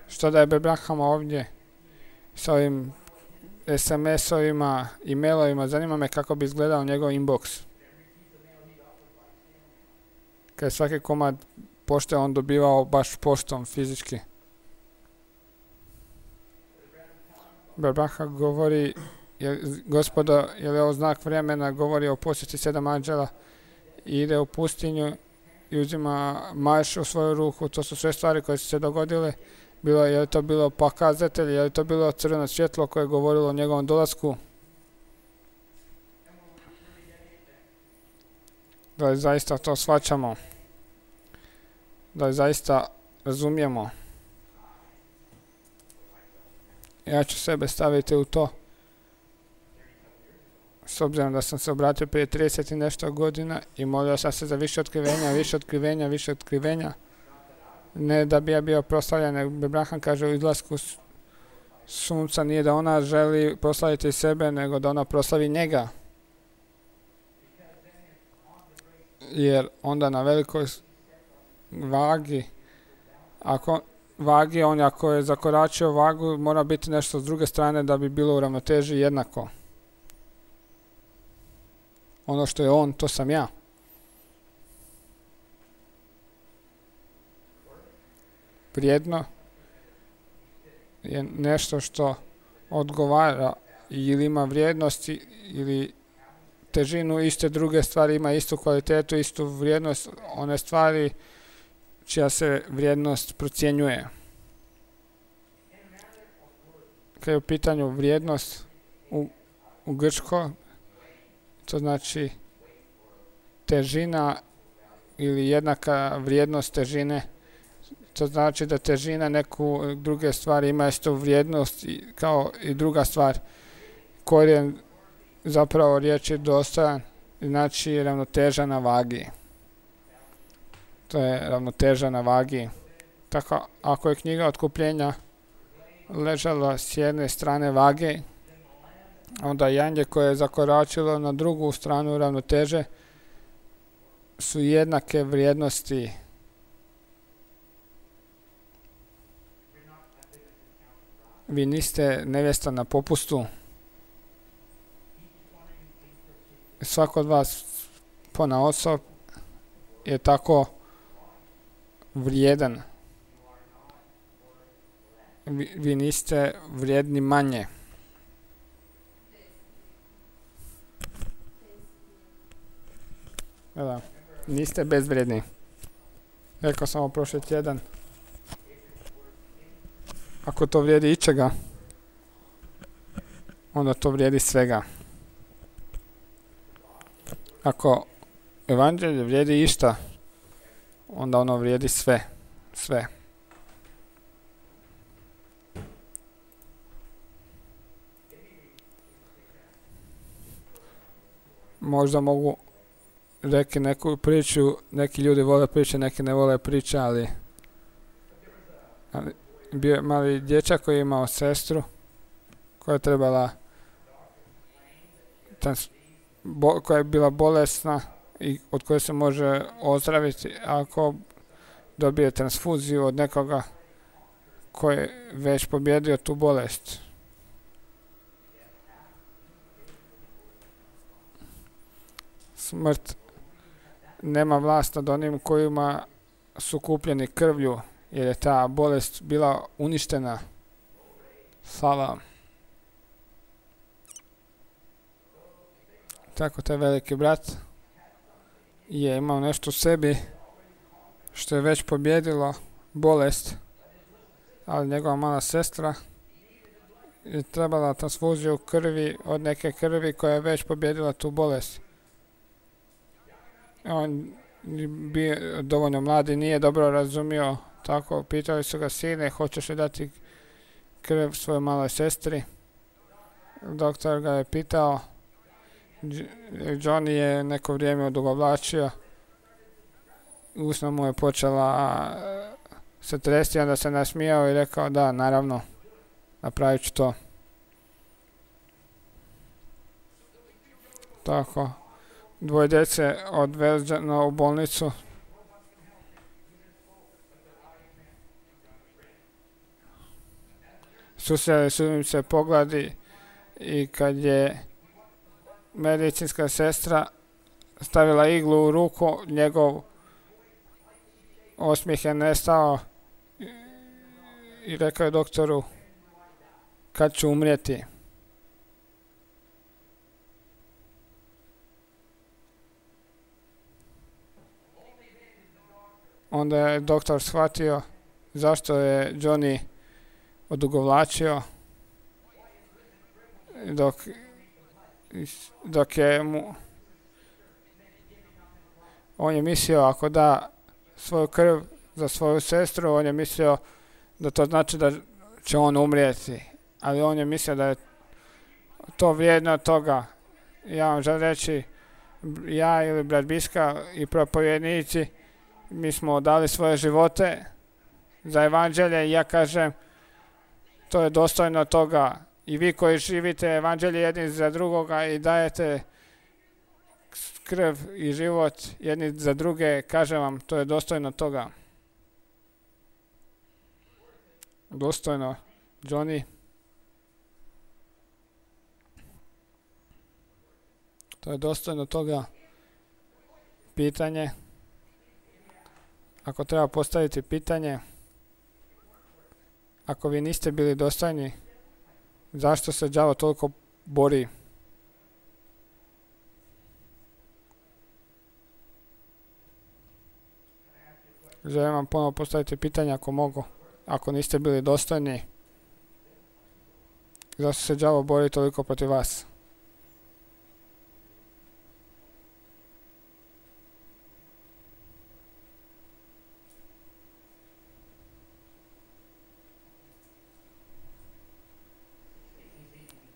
što da je Branham ovdje s ovim SMS-ovima, e-mailovima, zanima me kako bi izgledao njegov inbox. Kad je svaki komad pošte on dobivao baš poštom fizički. Branham govori, Gospodo, je li ovo znak vremena, govori o posjeti 7 anđela i ide u pustinju i uzima maš u svoju ruku. To su sve stvari koje su se dogodile. Je li to bilo pokazatelj, je li to bilo crveno svjetlo koje je govorilo o njegovom dolasku? Da li zaista to shvaćamo? Da li zaista razumijemo? Ja ću sebe staviti u to. S obzirom da sam se obratio prije 30 i nešto godina i molio sam se za više otkrivenja. Ne da bi ja bio proslavljen, nego Branham kaže u izlasku sunca nije da ona želi proslaviti sebe, nego da ona proslavi njega. Jer onda na velikoj vagi, ako je zakoračio vagu, mora biti nešto s druge strane da bi bilo u ravnoteži jednako. Ono što je on, to sam ja. Vrijedno je nešto što odgovara ili ima vrijednost ili težinu iste druge stvari, ima istu kvalitetu, istu vrijednost, one stvari čija se vrijednost procjenjuje. kad je u pitanju vrijednost u grčko, to znači težina ili jednaka vrijednost težine. To znači da težina neku druge stvari ima istu vrijednost kao i druga stvar. Korijen zapravo riječi dostojan znači ravnoteža na vagi. To je ravnoteža na vagi. Tako, ako je knjiga otkupljenja ležala s jedne strane vage, onda janje koje je zakoračilo na drugu stranu ravnoteže su jednake vrijednosti. Vi niste nevjesta na popustu. Svako od vas ponaosob je tako vrijedan. Vi niste vrijedni manje. Da, niste bezvrijedni. Rekao sam ovo prošli tjedan. Ako to vrijedi ičega, onda to vrijedi svega. Ako evanđelje vrijedi išta, onda ono vrijedi sve. Sve. Možda mogu reći neku priču, neki ljudi vole priče, neki ne vole priče, ali bio je mali dječak koji je imao sestru koja je trebala koja je bila bolesna i od koje se može ozdraviti ako dobije transfuziju od nekoga koji je već pobjedio tu bolest. Smrt nema vlast nad onim kojima su kupljeni krvlju, jer je ta bolest bila uništena. Slava. Tako taj veliki brat je imao nešto u sebi što je već pobjedilo bolest, ali njegova mala sestra je trebala transfuziju krvi od neke krvi koja je već pobjedila tu bolest. On bio dovoljno mladi, nije dobro razumio, tako pitali su ga: sine, hoćeš li dati krv svojoj maloj sestri? Doktor ga je pitao. Johnny je neko vrijeme odugovlačio, usna mu je počela se tresti, onda se nasmijao i rekao: da, naravno, napravit ću to. Tako, dvoje djece odvezeno u bolnicu. Susreli su im se pogledi i kad je medicinska sestra stavila iglu u ruku, njegov osmijeh je nestao i rekao je doktoru: kad ću umrijeti? Onda je doktor shvatio zašto je Johnny odugovlačio, dok je on je mislio ako da svoju krv za svoju sestru, on je mislio da to znači da će on umrijeti, ali on je mislio da je to vrijedno toga. Ja vam želim reći, ja ili brat Biska i propovjednici, mi smo dali svoje živote za evanđelje i ja kažem, to je dostojno toga. I vi koji živite evanđelje jedni za drugoga i dajete krv i život jedni za druge, kažem vam, to je dostojno toga. Dostojno, Johnny. To je dostojno toga. Pitanje. Ako treba postaviti pitanje, ako vi niste bili dostojni, zašto se đavo toliko bori? Želim vam ponovo postaviti pitanje ako mogu. Ako niste bili dostojni, Zašto se đavo bori toliko protiv vas?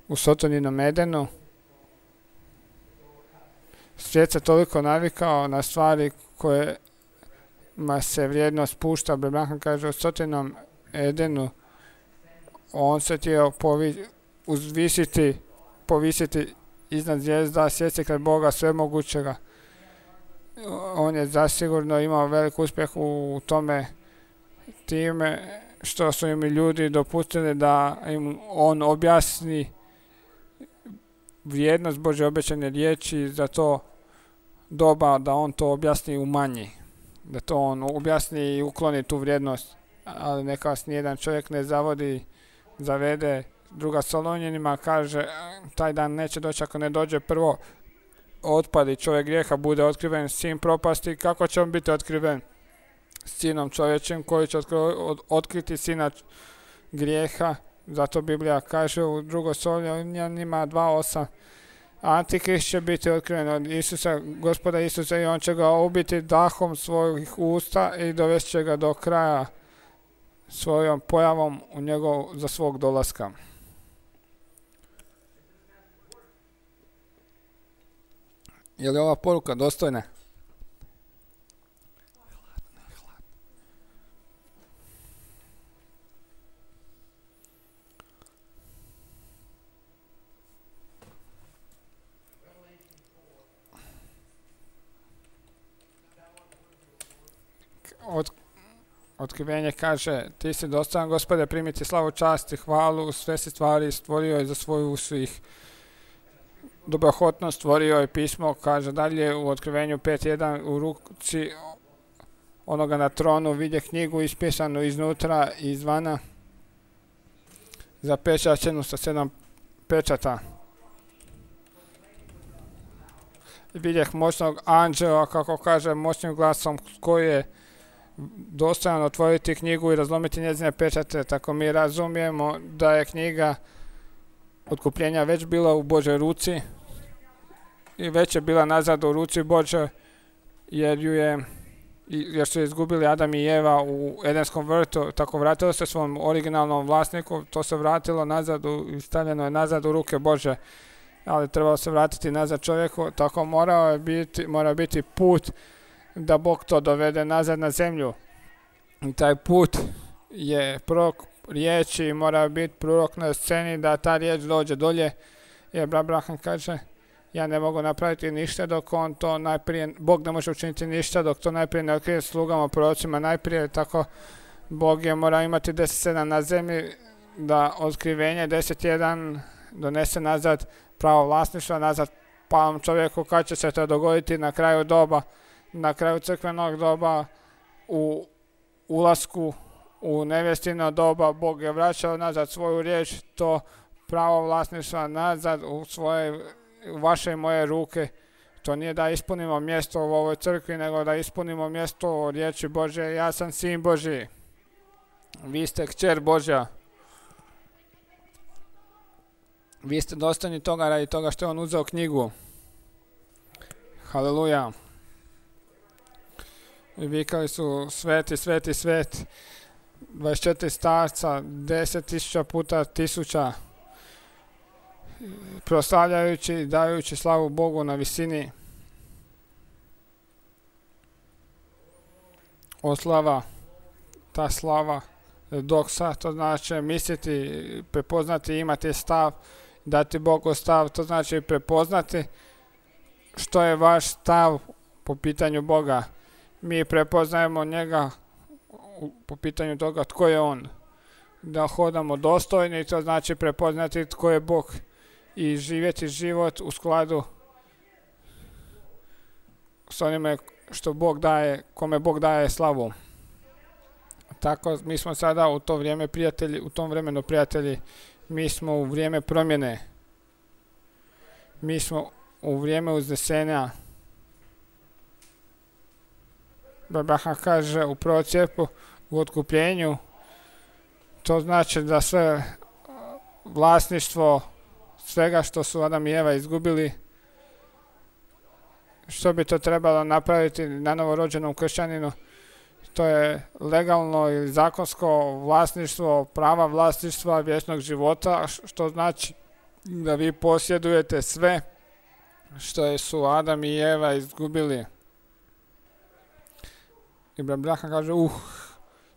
U Sotoninom Edenu svijet se toliko navikao na stvari kojima se vrijednost spušta. Abraham kaže u Sotinom Edenu on se htio povisiti iznad zvijezda, sjesti kraj Boga svemogućega. On je zasigurno imao velik uspjeh u tome time što su im ljudi dopustili da im on objasni vrijednost Božje obećane riječi za to doba, da on to objasni u manji, da to on objasni i ukloni tu vrijednost, ali neka vas nijedan čovjek ne zavede. Druga Solunjanima kaže taj dan neće doći ako ne dođe prvo otpadi čovjek grijeha, bude otkriven sin propasti. Kako će on biti otkriven? Sinom čovječim koji će otkriti sina grijeha. Zato Biblija kaže u 2. Solunjanima 2.8 Antikrist će biti otkriven od Isusa, Gospoda Isusa, i on će ga ubiti dahom svojih usta i dovest će ga do kraja svojom pojavom u njegov za svog dolaska. Je li ova poruka dostojna? Otkrivenje kaže, ti si dostojan Gospode primiti slavu, čast i hvalu, sve si stvari stvorio je za svoju svih dobrohotnost, stvorio je pismo, kaže dalje u Otkrivenju 5.1, u ruci onoga na tronu vidje knjigu ispisanu iznutra i izvana, zapečaćenu sa 7 pečata. Vidjeh moćnog anđela, kako kaže, moćnim glasom koji je dostojan otvoriti knjigu i razlomiti njezine pečate. Tako mi razumijemo da je knjiga otkupljenja već bila u Božoj ruci i već je bila nazad u ruci Božoj, jer su izgubili Adam i Eva u Edenskom vrtu. Tako vratilo se svom originalnom vlasniku, to se vratilo nazad i stavljeno je nazad u ruke Bože, ali trebalo se vratiti nazad čovjeku. Tako mora biti put da Bog to dovede nazad na zemlju. I taj put je prorok riječi, mora biti prorok na sceni da ta riječ dođe dolje. Jer Abraham kaže, ja ne mogu napraviti ništa dok on to najprije, Bog ne može učiniti ništa dok to najprije ne otkrije slugama, prorocima najprije. Tako Bog je mora imati 10.7 na zemlji da otkrivenje 10.1 donese nazad pravo vlasništva, nazad palom čovjeku. Kad će se to dogoditi? Na kraju doba, na kraju crkvenog doba, u ulasku u nevjestino doba. Bog je vraćao nazad svoju riječ, to pravo vlasništva nazad u vaše i moje ruke. To nije da ispunimo mjesto u ovoj crkvi, nego da ispunimo mjesto u riječi Božje. Ja sam sin Božji, vi ste kćer Božja. Vi ste dostojni toga radi toga što je on uzeo knjigu. Haleluja. I vikali su sveti, sveti, sveti. 24 starca, 10.000 puta 1000. Proslavljajući i dajući slavu Bogu na visini. Oslava, ta slava, doksa, to znači misliti, prepoznati, imati stav, dati Bogu stav, to znači prepoznati što je vaš stav po pitanju Boga. Mi prepoznajemo njega po pitanju toga tko je on. Da hodamo dostojni, to znači prepoznati tko je Bog i živjeti život u skladu s onime što Bog daje, kome Bog daje slavu. Tako mi smo sada u to vrijeme prijatelji, u tom vremenu prijatelji, mi smo u vrijeme promjene. Mi smo u vrijeme uznesenja. Abraham kaže u procijepu, u otkupljenju, to znači da sve vlasništvo svega što su Adam i Eva izgubili. Što bi to trebalo napraviti na novorođenom kršćaninu? To je legalno ili zakonsko vlasništvo, prava vlasništva vječnog života, što znači da vi posjedujete sve što su Adam i Eva izgubili. I Abraham kaže,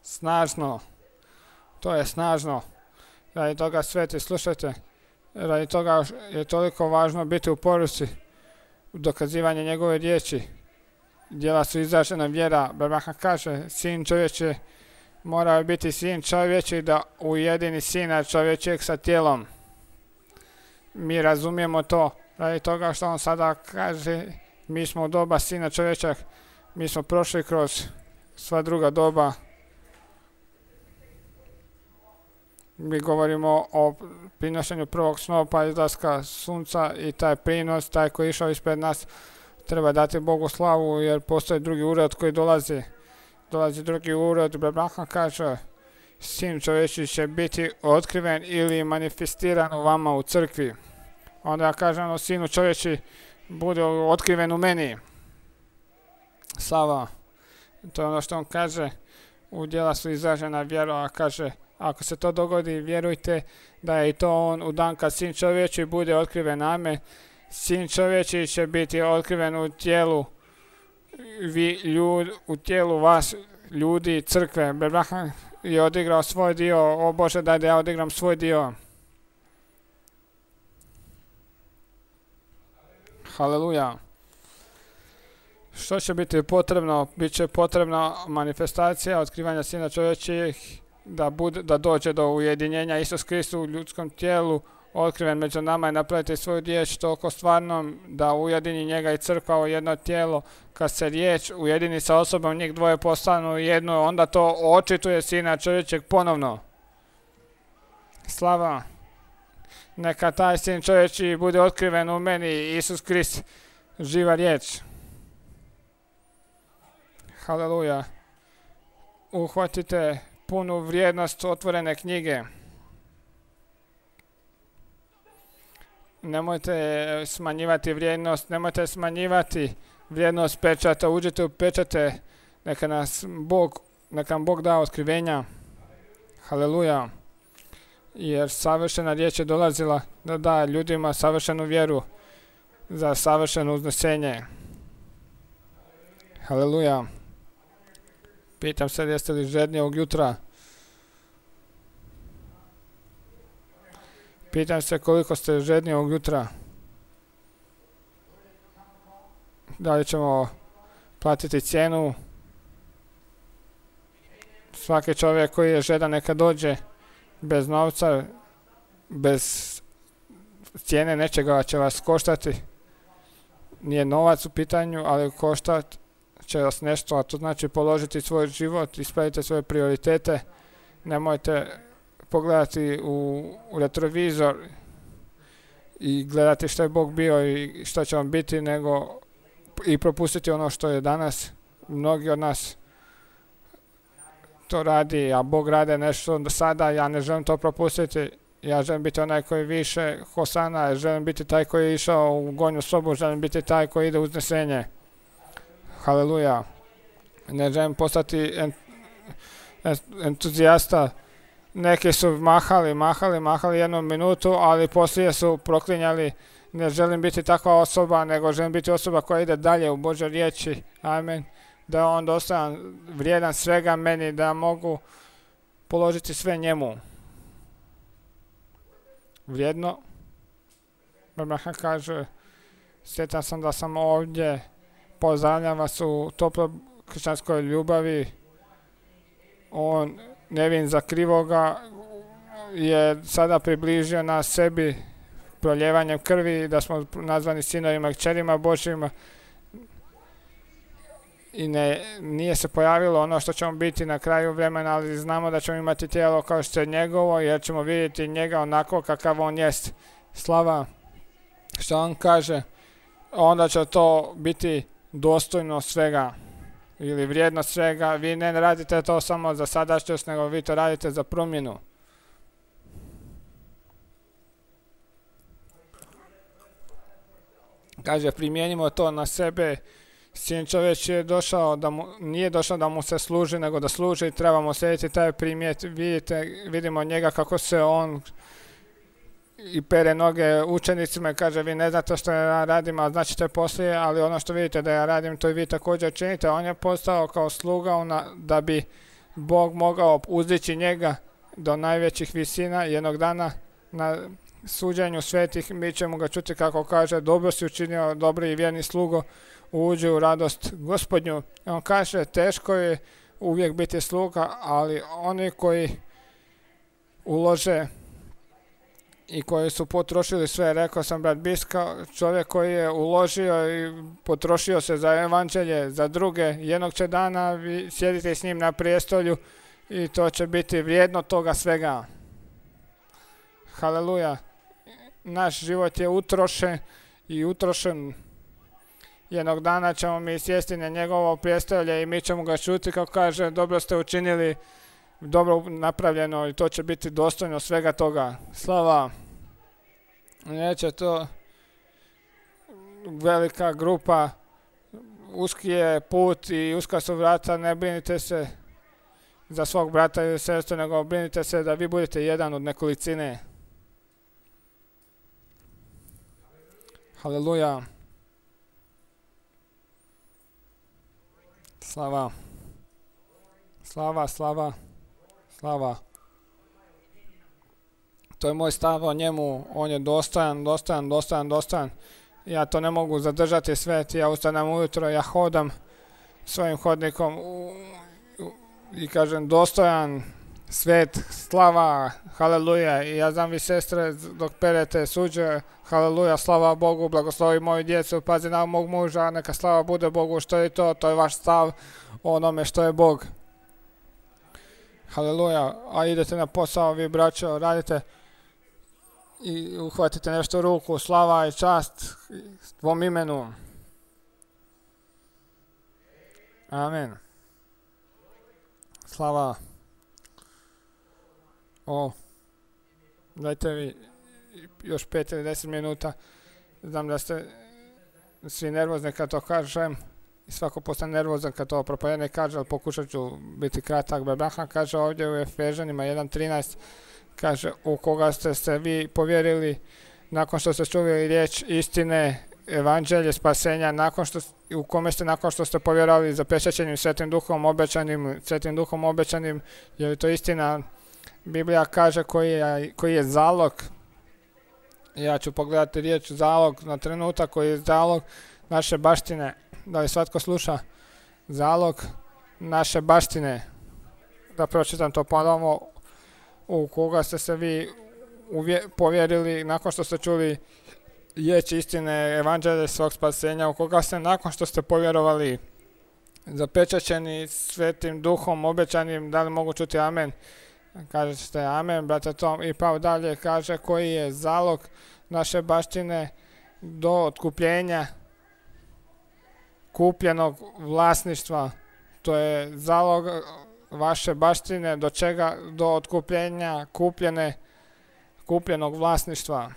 snažno, to je snažno. Radi toga sveti, slušajte, radi toga je toliko važno biti u poruci, dokazivanje njegove riječi. Djela su izražena vjera. Abraham kaže, sin čovječe mora biti sin čovječi da ujedini sina čovječeg sa tijelom. Mi razumijemo to radi toga što on sada kaže, mi smo u doba sina čovječeg, mi smo prošli kroz sva druga doba. Mi govorimo o prinošenju prvog snopa, izlaska sunca i taj prinos, taj koji je išao ispred nas, treba dati Bogu slavu jer postoji drugi urod koji dolazi. Dolazi drugi urod, Abraham kaže, sin čovječi će biti otkriven ili manifestiran u vama u crkvi. Onda ja kažem, sinu čovječi bude otkriven u meni. Slava. To je ono što on kaže, u djela su izražena vjera, a kaže, ako se to dogodi, vjerujte da je i to on u dan kad sin čovječi bude otkriven. Amen. Sin čovječi će biti otkriven u tijelu, u tijelu vas, ljudi, crkve. Abraham je odigrao svoj dio, o Bože daj da ja odigram svoj dio. Haleluja. Što će biti potrebno? Biće potrebna manifestacija otkrivanja sina čovječih, da dođe do ujedinjenja Isus Kristus u ljudskom tijelu, otkriven među nama i napraviti svoju riječ toliko stvarnom da ujedini njega i crkva u jedno tijelo. Kad se riječ ujedini sa osobom, njih dvoje postanu jedno, onda to očituje sina čovječeg ponovno. Slava. Neka taj sin čovječi bude otkriven u meni, Isus Krist, živa riječ. Haleluja. Uhvatite punu vrijednost otvorene knjige. Nemojte smanjivati vrijednost, nemojte smanjivati vrijednost pečata. Uđite u pečate, neka nam Bog da otkrivenja. Haleluja. Jer savršena riječ je dolazila da da ljudima savršenu vjeru za savršeno uznesenje. Haleluja. Pitam se, jeste li žedni ovog jutra? Pitam se koliko ste žedni ovog jutra. Da li ćemo platiti cijenu? Svaki čovjek koji je žedan neka dođe bez novca, bez cijene nečega će vas koštati. Nije novac u pitanju, ali koštat će vas nešto, a to znači položiti svoj život, ispravite svoje prioritete. Nemojte pogledati u retrovizor i gledati što je Bog bio i što će on biti, nego i propustiti ono što je danas. Mnogi od nas to radi, a Bog rade nešto do sada, ja ne želim to propustiti. Ja želim biti onaj koji više Hosana, želim biti taj koji je išao u gornju sobu, želim biti taj koji ide u uznesenje. Haleluja. Ne želim postati entuzijasta. Neki su mahali jednu minutu, ali poslije su proklinjali. Ne želim biti takva osoba, nego želim biti osoba koja ide dalje u Božoj riječi. Amen. Da je on dostojan, vrijedan svega meni, da mogu položiti sve njemu. Vrijedno. Abraham kaže, sjetan sam da sam ovdje, pozdravljam vas u toploj kršćanskoj ljubavi. On, nevin za krivoga, je sada približio nas sebi proljevanjem krvi, da smo nazvani sinovima i kćerima Božjima. I nije se pojavilo ono što ćemo biti na kraju vremena, ali znamo da ćemo imati tijelo kao što je njegovo, jer ćemo vidjeti njega onako kakav on jest. Slava. Što on kaže, onda će to biti dostojno svega ili vrijedno svega. Vi ne radite to samo za sadašnjost, nego vi to radite za promjenu. Kaže, primijenimo to na sebe. Sin čovjek je došao nije došao da mu se služi, nego da služi i trebamo slijediti taj primjer. Vidimo njega kako se on i pere noge učenicima i kaže, vi ne znate što ja radim, a značite poslije, ali ono što vidite da ja radim, to i vi također činite. On je postao kao sluga da bi Bog mogao uzdići njega do najvećih visina. Jednog dana na suđenju svetih mi ćemo ga čuti kako kaže, dobro si učinio, dobri i vjerni slugo, uđi u radost Gospodnju. On kaže, teško je uvijek biti sluga, ali oni koji ulože i koji su potrošili sve, rekao sam brat Biska, čovjek koji je uložio i potrošio se za evanđelje, za druge, jednog će dana vi sjedite s njim na prijestolju i to će biti vrijedno toga svega. Haleluja. Naš život je utrošen. Jednog dana ćemo mi sjesti na njegovo prijestolje i mi ćemo ga čuti kako kaže, dobro ste učinili, dobro napravljeno i to će biti dostojno svega toga. Slava. Neće to velika grupa, uski je put i uska su vrata, ne brinite se za svog brata ili sestru, nego brinite se da vi budete jedan od nekolicine. Haleluja. Slava. Slava, slava, slava. To je moj stav o njemu, on je dostojan. Ja to ne mogu zadržati sve, ja ustanem ujutro, ja hodam svojim hodnikom i kažem dostojan, svet, slava, haleluja. I ja znam vi sestre dok perete suđe, haleluja, slava Bogu, blagoslovi moju djecu, pazi na mog muža, neka slava bude Bogu, što je to je vaš stav o onome što je Bog. Haleluja, a idete na posao, vi braćo, radite i uhvatite nešto u ruku, slava i čast tvom imenu. Amen. Slava. Dajte vi još 5 ili 10 minuta. Znam da ste svi nervozni kad to kažem. I svako postane nervozan kad to propovednik kaže, ali pokušat ću biti kratak. Abraham kaže ovdje u Efežanima 1.13, kaže u koga ste se vi povjerili nakon što ste čuli riječ istine, evanđelje, spasenja, u kome ste nakon što ste povjerovali zapečaćenim Svetim Duhom obećanim, je li to istina? Biblija kaže koji je zalog. Ja ću pogledati riječ zalog na trenutak, koji je zalog naše baštine. Da li svatko sluša? Zalog naše baštine. Da pročitam to ponovno. U koga ste se vi povjerili nakon što ste čuli riječ istine, evanđelje svog spasenja, u koga ste nakon što ste povjerovali zapečaćeni Svetim Duhom obećanim. Da li mogu čuti amen? Kažete amen, brate Tom. I pa dalje kaže koji je zalog naše baštine do otkupljenja kupljenog vlasništva. To je zalog vaše baštine do čega? Do otkupljenja kupljenog vlasništva.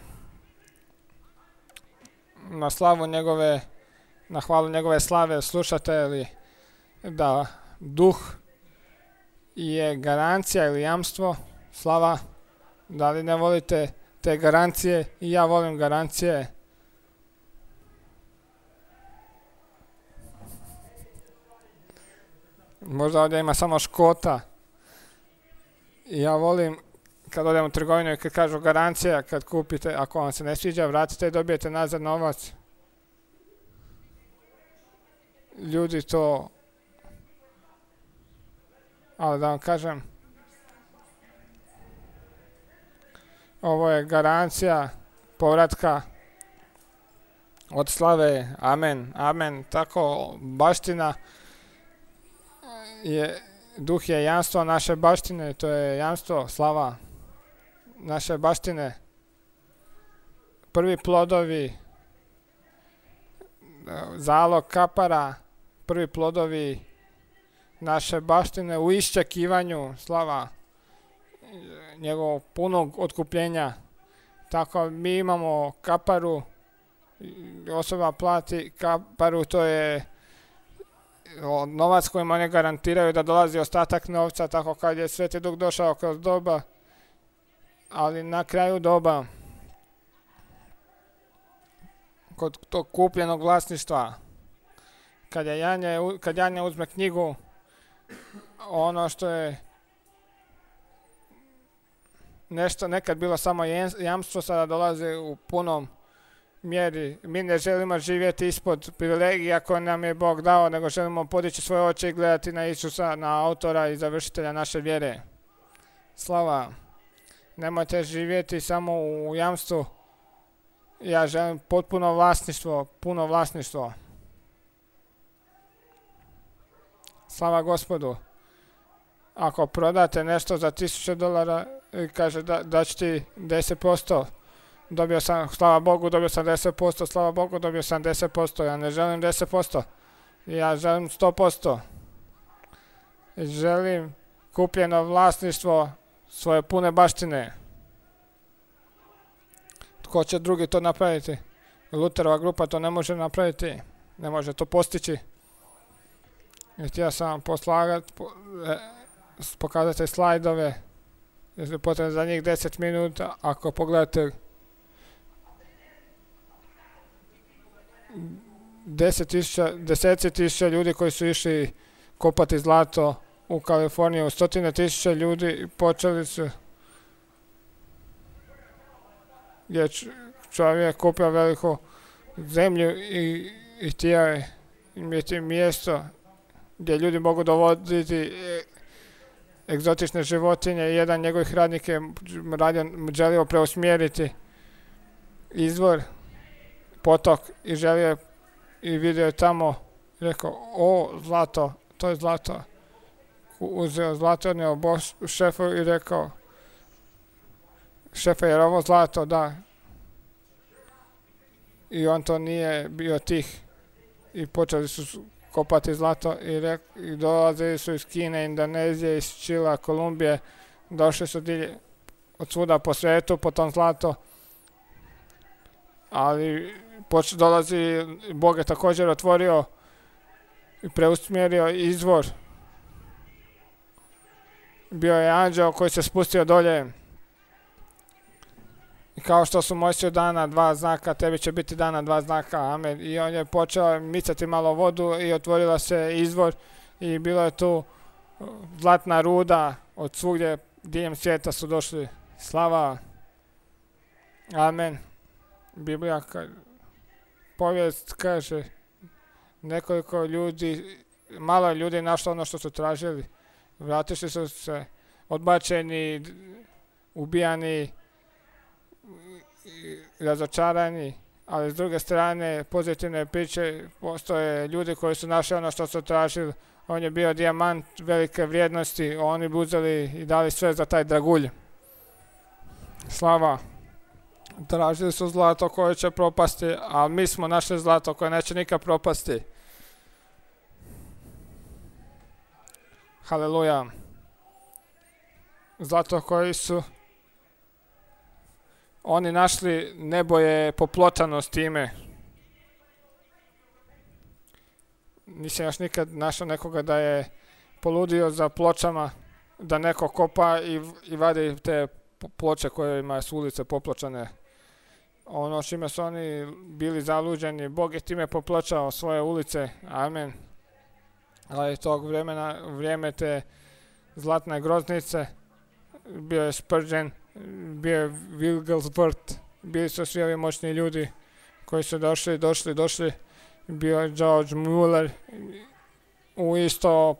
Na hvalu njegove slave slušate li da duh je garancija ili jamstvo, slava, da li ne volite te garancije? I ja volim garancije. Možda ovdje ima samo Škota. I ja volim kad odem u trgovinu i kad kažu garancija, kad kupite, ako vam se ne sviđa, vratite i dobijete nazad novac. Ljudi to... Ali da vam kažem, ovo je garancija povratka od slave. Amen, amen. Tako baština duh je jamstvo naše baštine, to je jamstvo, slava naše baštine. Prvi plodovi, zalog kapara, prvi plodovi naše baštine u iščekivanju, slava njegovog punog otkupljenja. Tako mi imamo kaparu osoba plati kaparu, to je novac kojim oni garantiraju da dolazi ostatak novca, tako kad je Sveti Duh došao kroz doba, ali na kraju doba, kod tog kupljenog vlasništva, kad Janja uzme knjigu, ono što je nešto nekad bilo samo jamstvo, sada dolazi u punom mjeri. Mi ne želimo živjeti ispod privilegija koje nam je Bog dao, nego želimo podići svoje oči i gledati na Isusa, na autora i završitelja naše vjere. Slava. Nemojte živjeti samo u jamstvu. Ja želim potpuno vlasništvo, puno vlasništvo. Slava Gospodu. Ako prodate nešto za $1000 i kaže da ću ti 10%, dobio sam, slava Bogu, dobio sam 10%, slava Bogu, dobio sam 10%, ja ne želim 10%, ja želim 100%. Želim kupljeno vlasništvo svoje pune baštine. Tko će drugi to napraviti? Luterova grupa to ne može napraviti, ne može to postići. I htio sam vam pokazati slajdove, jer je potrebno za njih 10 minuta. Ako pogledate deseci tisuća ljudi koji su išli kopati zlato u Kaliforniju, 100.000 ljudi počeli su, gdje čovjek kupio veliku zemlju i htio je imati mjesto gdje ljudi mogu dovoditi egzotične životinje. Jedan njegovih radnik je želio preusmjeriti izvor, potok, i želio i vidio je tamo, rekao, o, zlato, to je zlato. Uzeo zlato, odnio šefu i rekao, šefe, jer ovo zlato? Da. I on to nije bio tih i počeli su kopati zlato i dolazili su iz Kine, Indonezije, iz Čila, Kolumbije, došli su od svuda po svijetu po tom zlato, ali dolazi, Bog je također otvorio i preusmjerio izvor. Bio je anđeo koji se spustio dolje i kao što su Mojsiju dana 2 znaka, tebi će biti dana 2 znaka, amen. I on je počeo micati malo vodu i otvorila se izvor i bilo je tu zlatna ruda, od svugdje diljem svijeta su došli. Slava, amen. Biblija, povijest kaže, nekoliko ljudi, malo je ljudi našlo ono što su tražili. Vratili su se odbačeni, ubijani, razočarani, ali s druge strane pozitivne priče, postoje ljudi koji su našli ono što su tražili. On je bio dijamant velike vrijednosti, oni bi uzeli i dali sve za taj dragulj. Slava. Tražili su zlato koje će propasti, ali mi smo našli zlato koje neće nikad propasti. Haleluja. Zlato koji su oni našli, nebo je popločano s time. Nisam još nikad našao nekoga da je poludio za pločama, da neko kopa i vadi te ploče kojima su ulice popločane. Ono čime su oni bili zaluđeni, Bog je time popločao svoje ulice. Amen. Ali tog vremena, vrijeme te zlatne groznice, bio je Spurgeon, bio je Wigglesworth, bili su svi ovi moćni ljudi koji su došli. Bio je George Muller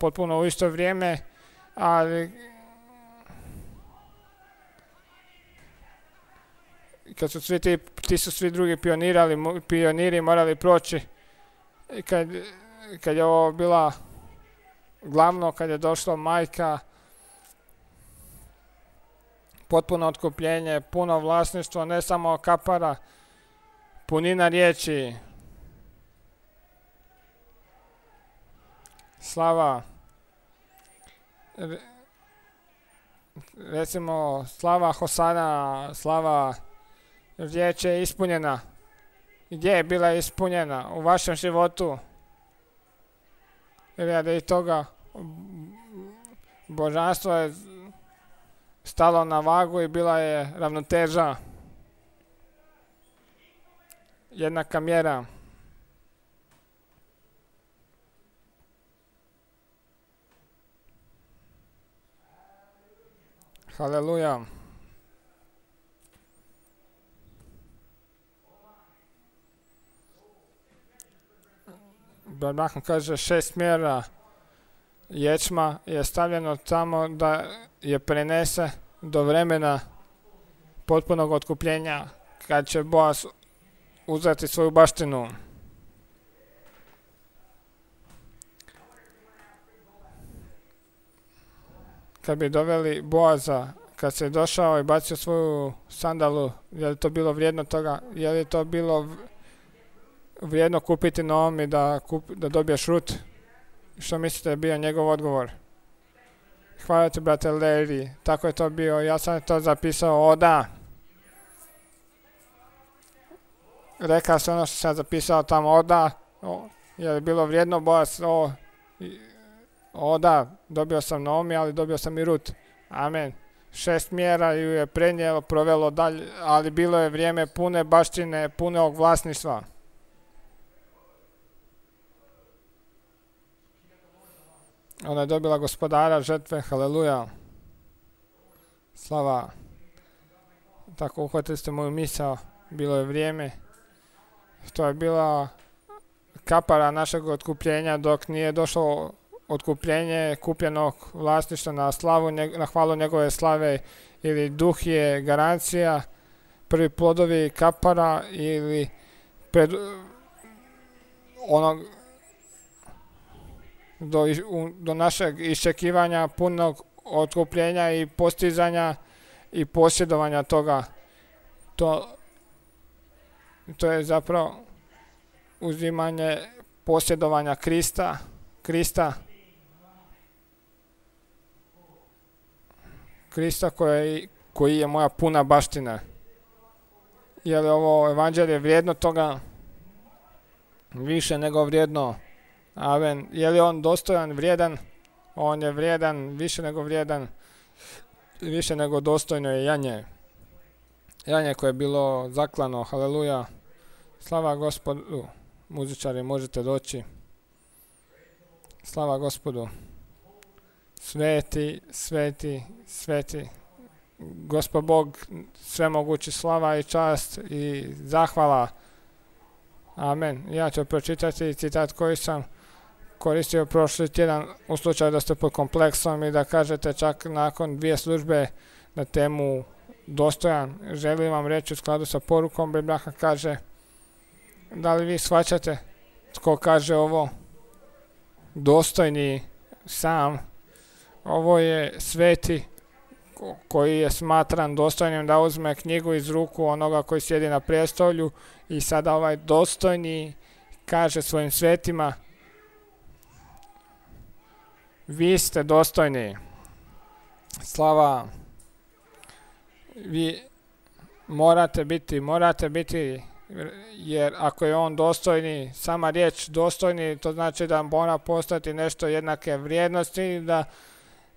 potpuno u isto vrijeme, ali kad su svi ti su svi drugi pioniri morali proći. I kad je ovo bila glavno, kad je došla majka, potpuno otkupljenje, puno vlasništvo, ne samo kapara, punina riječi. Slava. Recimo, slava Hosana, slava, riječ je ispunjena. gdje je bila ispunjena u vašem životu. Radi toga božanstvo je stalo na vagu i bila je ravnoteža, jednaka mjera. Haleluja. Barbahom kaže 6 mjera ječma je stavljeno tamo da je prenese do vremena potpunog otkupljenja, kad će Boaz uzeti svoju baštinu. Kad bi doveli Boaza, kad se je došao i bacio svoju sandalu, je li to bilo vrijedno toga? Je li to bilo vrijedno kupiti Naomi da dobiješ Rut? Što mislite je bio njegov odgovor? Hvala ti, brate Larry, tako je to bio. Ja sam to zapisao, o da. Rekao sam ono što sam zapisao tamo, o da. Je li bilo vrijedno, Boaz? O da, dobio sam Naomi, ali dobio sam i Rut. Amen. 6 mjera ju je prenijelo, provelo dalje, ali bilo je vrijeme pune baštine, punog vlasništva. Ona je dobila gospodara žrtve, haleluja. Slava. Tako uhvatili ste moju misao, bilo je vrijeme. To je bila kapara našeg otkupljenja dok nije došlo otkupljenje kupljenog vlasništva na slavu, na hvalu njegove slave, ili duh je garancija, prvi plodovi kapara ili onog do našeg iščekivanja punog otkupljenja i postizanja i posjedovanja toga. To je zapravo uzimanje posjedovanja Krista koji je moja puna baština. Je li ovo evanđelje vrijedno toga? Više nego vrijedno. Amen. Je li on dostojan, vrijedan? On je vrijedan, više nego dostojno je janje. Janje koje je bilo zaklano, haleluja. Slava Gospodu. Muzičari, možete doći. Slava Gospodu. Sveti, sveti, sveti. Gospod Bog, svemogući, slava i čast i zahvala. Amen. Ja ću pročitati citat koji sam koristio prošli tjedan u slučaju da ste pod kompleksom i da kažete čak nakon 2 službe na temu dostojan. Želim vam reći u skladu sa porukom, Biblija kaže, da li vi shvaćate tko kaže ovo? Dostojni sam. Ovo je sveti koji je smatran dostojnim da uzme knjigu iz ruku onoga koji sjedi na prijestolju i sada ovaj dostojni kaže svojim svetima, vi ste dostojni. Slava. Vi morate biti, jer ako je on dostojni, sama riječ dostojni, to znači da mora postati nešto jednake vrijednosti, da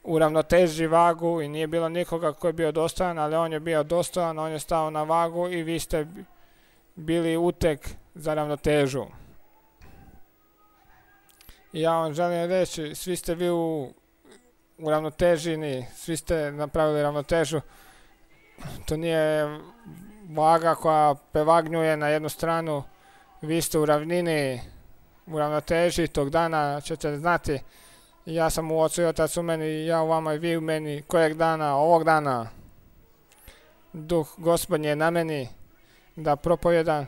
uravnoteži vagu i nije bilo nikoga koji je bio dostojan, ali on je bio dostojan, on je stao na vagu i vi ste bili uteg za ravnotežu. I ja vam želim reći, svi ste vi uravnoteženi, svi ste napravili ravnotežu. To nije vaga koja pevagnjuje na jednu stranu, vi ste u ravnini, u ravnoteži, tog dana ćete znati, ja sam u Ocu i Otac u meni, ja u vama i vi u meni, kojeg dana, ovog dana. Duh Gospodnji je na meni da propovjedam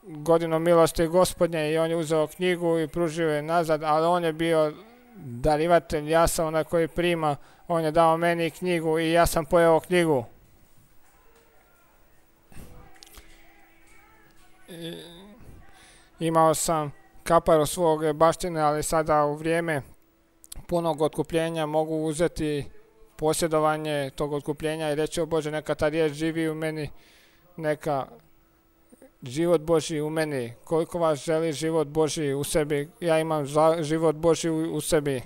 godinu milosti Gospodnje i on je uzeo knjigu i pružio je nazad, ali on je bio darivatelj, ja sam onaj koji prima, on je dao meni knjigu i ja sam pojeo knjigu. Imao sam kaparu svog baštine, ali sada u vrijeme punog otkupljenja mogu uzeti posjedovanje tog otkupljenja i reći, o Bože, neka ta riječ živi u meni, neka život Božji u meni. Koliko vas želi život Božji u sebi? Ja imam život Božji u sebi.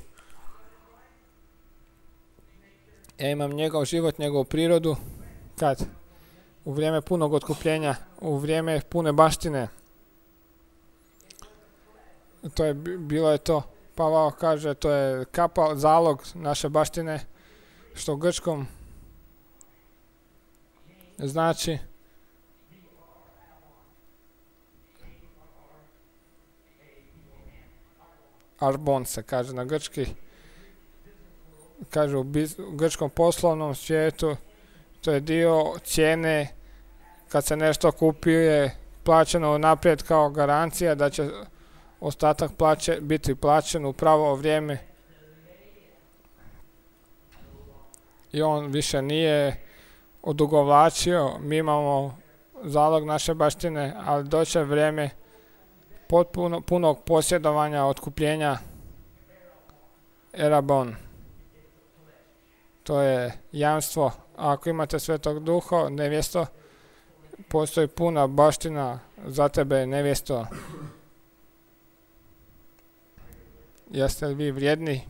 Ja imam njegov život, njegovu prirodu. Kad? U vrijeme punog otkupljenja, u vrijeme pune baštine. Bilo je to. Pavao kaže, to je kapal, zalog naše baštine, što u grčkom znači arbon se kaže na grčki. Kaže u grčkom poslovnom svijetu to je dio cijene kad se nešto kupuje plaćeno naprijed kao garancija da će ostatak biti plaćen u pravo vrijeme. I on više nije odugovlačio, mi imamo zalog naše baštine, ali doće vrijeme punog posjedovanja, otkupljenja, erabon. To je jamstvo. A ako imate Svetog Duha, nevjesto, postoji puna baština za tebe, nevjesto. Jeste li vi vrijedni?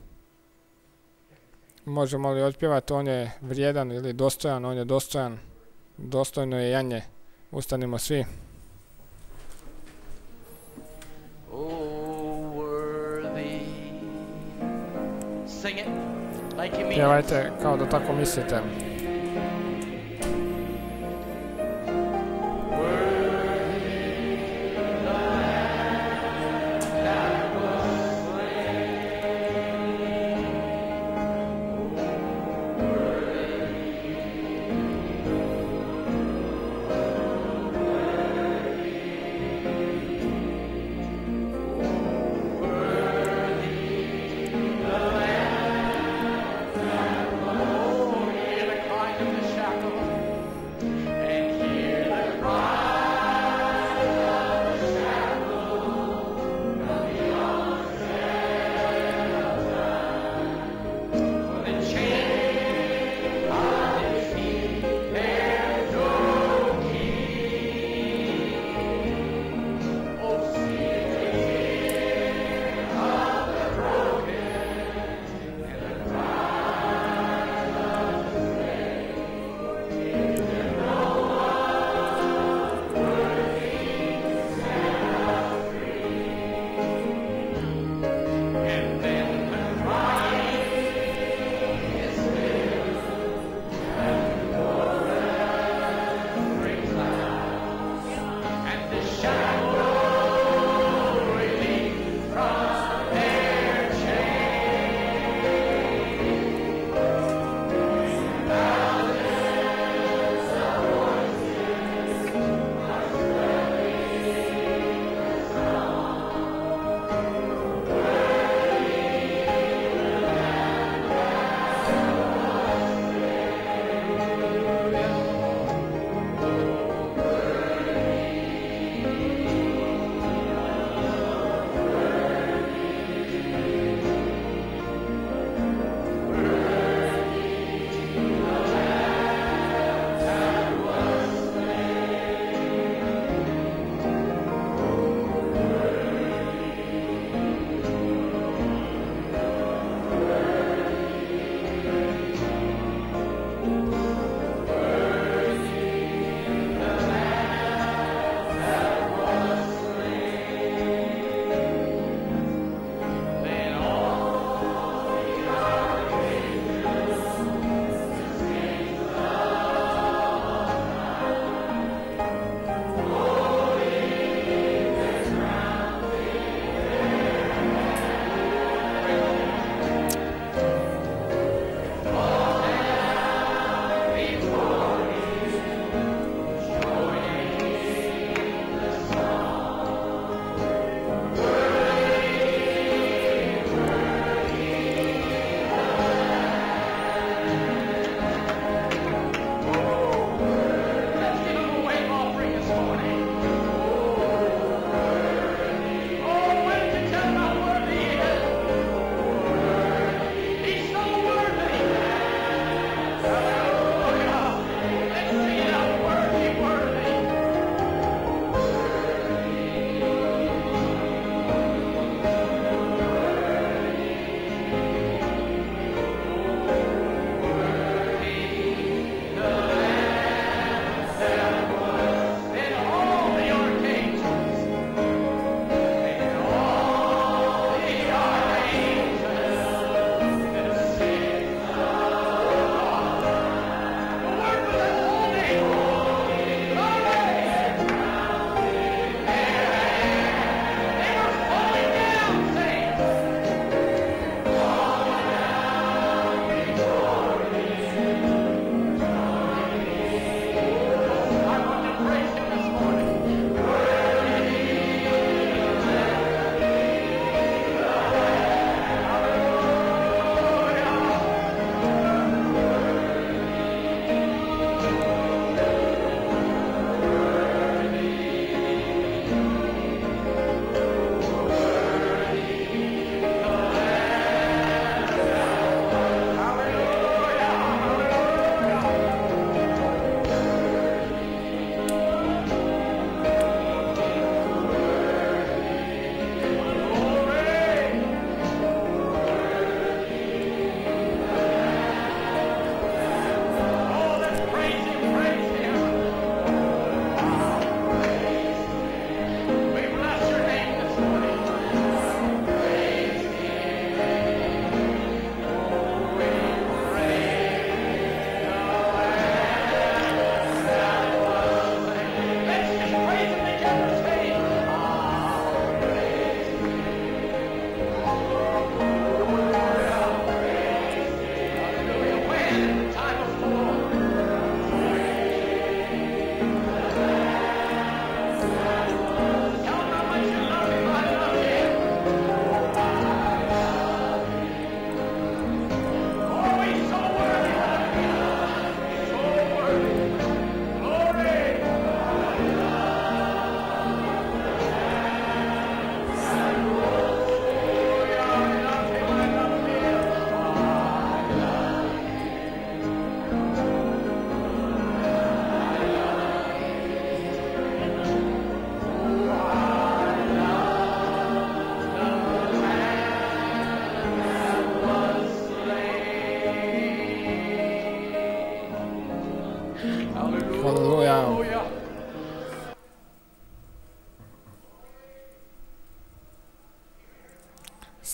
Možemo li otpjevati on je vrijedan ili dostojan? On je dostojan. Dostojno je janje. Ustanimo svi. Pjevajte kao da tako mislite.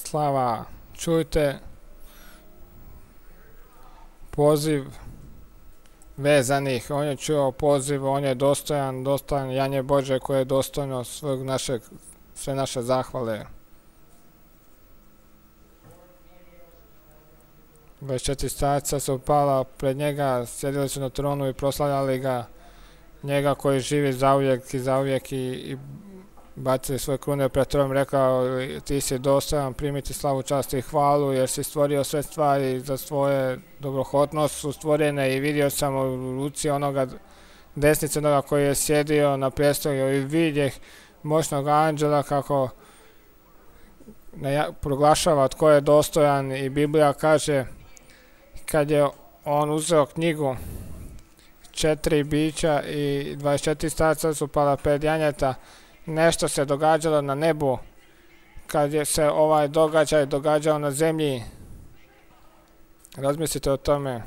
slava. Čujte poziv vezanih. On je čuo poziv, on je dostojan janje Bože koje je dostojno sve naše zahvale. 24 starca su upala pred njega, sjedili su na tronu i proslavljali ga, njega koji živi zauvijek i bacili svoje krune pred tronom, rekao: ti si dostojan primiti slavu, čast i hvalu, jer si stvorio sve stvari za svoje dobrohotnost su stvorene, i vidio sam u ruci onoga desnice onoga koji je sjedio na prijestolju i vidjeh moćnog anđela kako proglašava tko je dostojan. I Biblija kaže, kad je on uzeo knjigu, 4 bića i 24 starca su pala pred janjeta, nešto se događalo na nebu. Kad je se ovaj događaj događao na zemlji, razmislite o tome.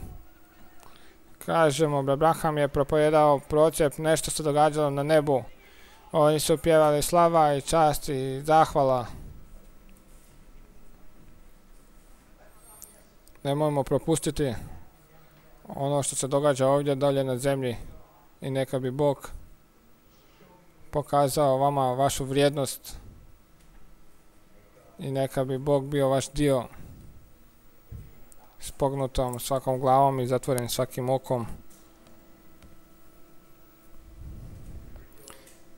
Kažemo, Abraham je propovijedao procjep, nešto se događalo na nebu. Oni su pjevali slava i čast i zahvala. Nemojmo propustiti ono što se događa ovdje dolje na zemlji, i neka bi Bog pokazao vama vašu vrijednost i neka bi Bog bio vaš dio s pognutom svakom glavom i zatvorenim svakim okom.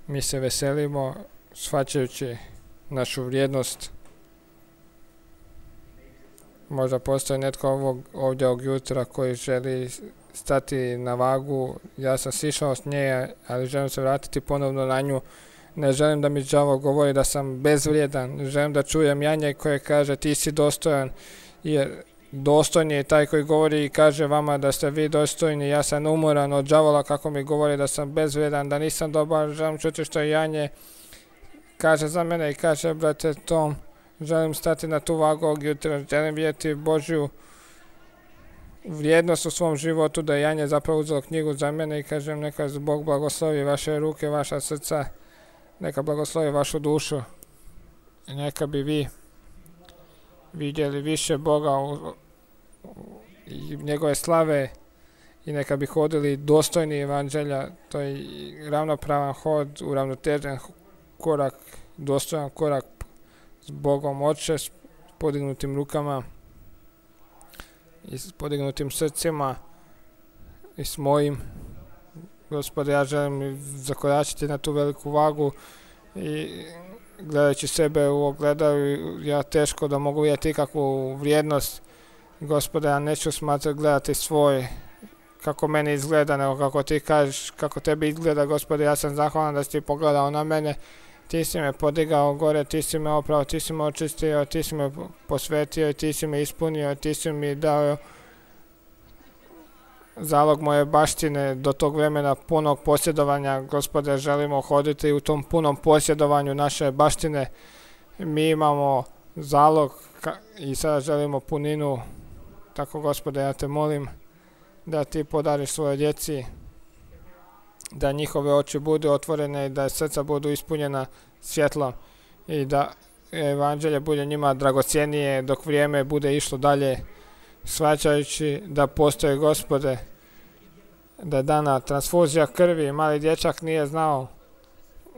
Mi se veselimo shvaćajući našu vrijednost. Možda postoji netko ovdje ovog jutra koji želi stati na vagu. Ja sam sišao s nje, ali želim se vratiti ponovno na nju. Ne želim da mi đavo govori da sam bezvrijedan. Želim da čujem janje koje kaže ti si dostojan, jer dostojni je taj koji govori i kaže vama da ste vi dostojni. Ja sam umoran od đavola kako mi govori da sam bezvrijedan, da nisam dobar. Želim čuti što janje kaže za mene i kaže: brate Tom, želim stati na tu vagu ovog jutra, želim vidjeti Božju vrijednost u svom životu, da je janje zapravo uzelo knjigu za mene i kažem: neka Bog blagoslovi vaše ruke, vaša srca, neka blagoslovi vašu dušu i neka bi vi vidjeli više Boga i njegove slave i neka bi hodili dostojni evanđelja. To je ravnopravan hod, uravnotežen korak, dostojan korak s Bogom Oče, s podignutim rukama i s podignutim srcima i s mojim. Gospode, ja želim zakoračiti na tu veliku vagu i gledajući sebe u ogledalu, ja teško da mogu vidjeti ikakvu vrijednost. Gospode, ja neću gledati svoj, kako meni izgleda, nego kako ti kažeš, kako tebi izgleda. Gospode, ja sam zahvalan da si ti pogledao na mene. Ti si me podigao gore, ti si me oprao, ti si me očistio, ti si me posvetio i ti si me ispunio, ti si mi dao zalog moje baštine do tog vremena punog posjedovanja. Gospode, želimo hoditi u tom punom posjedovanju naše baštine. Mi imamo zalog i sada želimo puninu. Tako, Gospode, ja te molim da ti podariš svoje djeci, da njihove oči budu otvorene i da srca budu ispunjena svjetlom i da evanđelje bude njima dragocjenije dok vrijeme bude išlo dalje, shvaćajući da postoji, Gospode, da je dana transfuzija krvi. Mali dječak nije znao,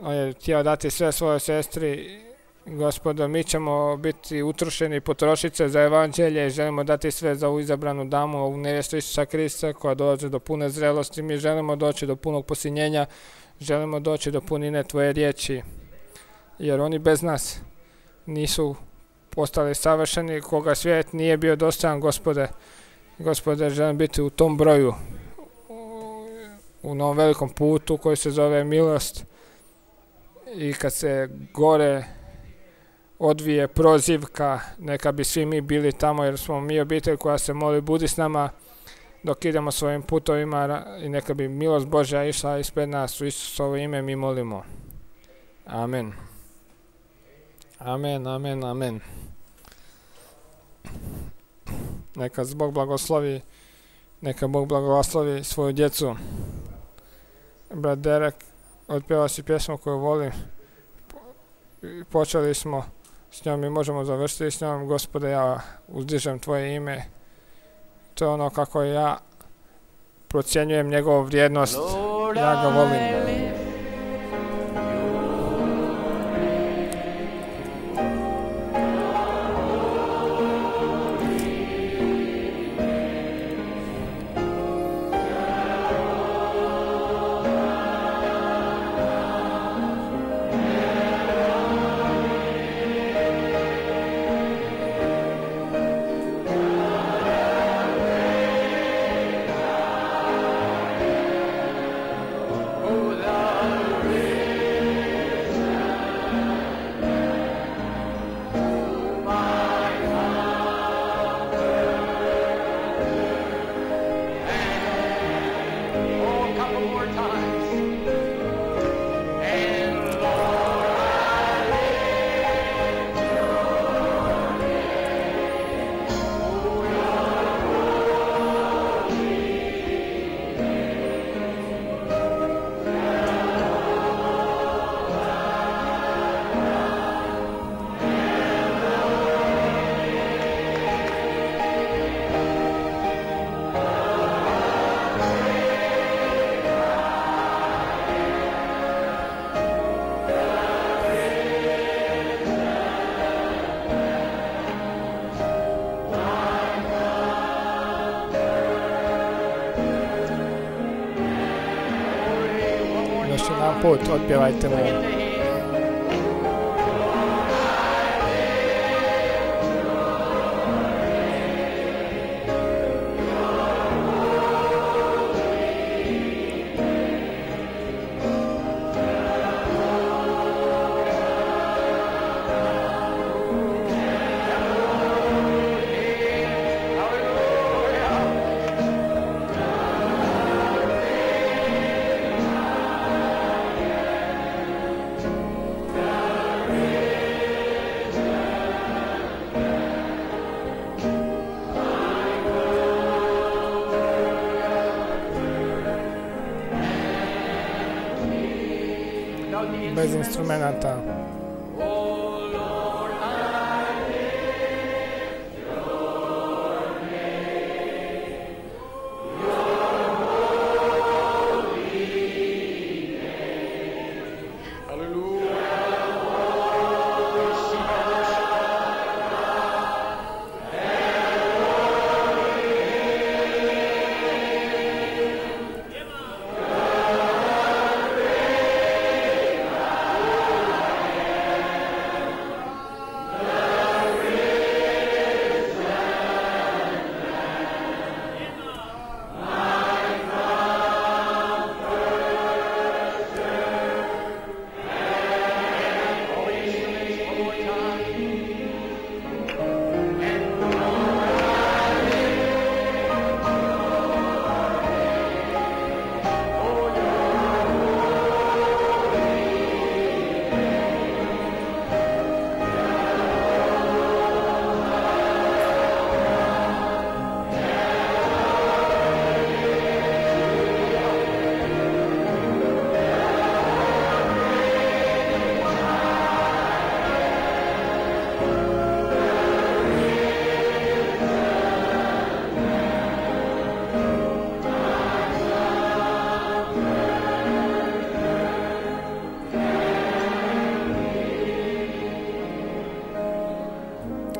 on je htio dati sve svojoj sestri. Gospodo, mi ćemo biti utrošeni potrošice za evanđelje i želimo dati sve za ovu izabranu damu, ovu nevjestu Isusa Krista koja dolazi do pune zrelosti. Mi želimo doći do punog posinjenja, želimo doći do punine tvoje riječi, jer oni bez nas nisu postali savršeni, koga svijet nije bio dostojan, Gospode. Gospode, želim biti u tom broju, u novom velikom putu koji se zove milost, i kad se gore odvije prozivka, neka bi svi mi bili tamo, jer smo mi obitelj koja se moli: budi s nama dok idemo svojim putovima, i neka bi milost Božja išla ispred nas. U Isusovo ime mi molimo. Amen. Amen, amen, amen. Neka Bog blagoslovi svoju djecu. Brat Derek, otpjeva si pjesmu koju volim. Počeli smo s njom mi možemo završiti s njom. Gospode, ja uzdižem Tvoje ime. To je ono kako ja procjenjujem njegovu vrijednost. Ja ga volim. Još jedan put otpjevajte mu. Bez instrumenata.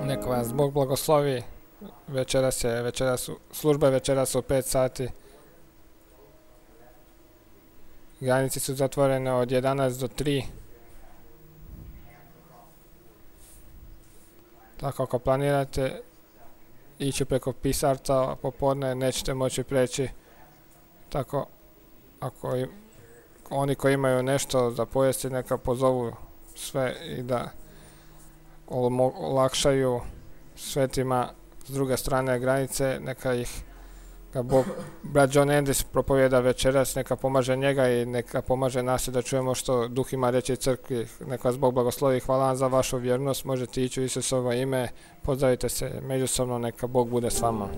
Neka vas Bog blagoslovi. Služba večeras u 5 sati. Granice su zatvorene od 11 do 3. Tako ako planirate ići preko Pisarca popodne, nećete moći preći. Tako ako oni koji imaju nešto za pojesti neka pozovu sve i da olakšaju svetima s druge strane granice, neka ih brat John Andis propovjeda večeras, neka pomaže njega i neka pomaže nas da čujemo što Duh ima reći crkvi. Neka vas Bog blagoslovi. Hvala vam za vašu vjernost. Možete ići u Isusovo ime. Pozdravite se međusobno. Neka Bog bude s vama.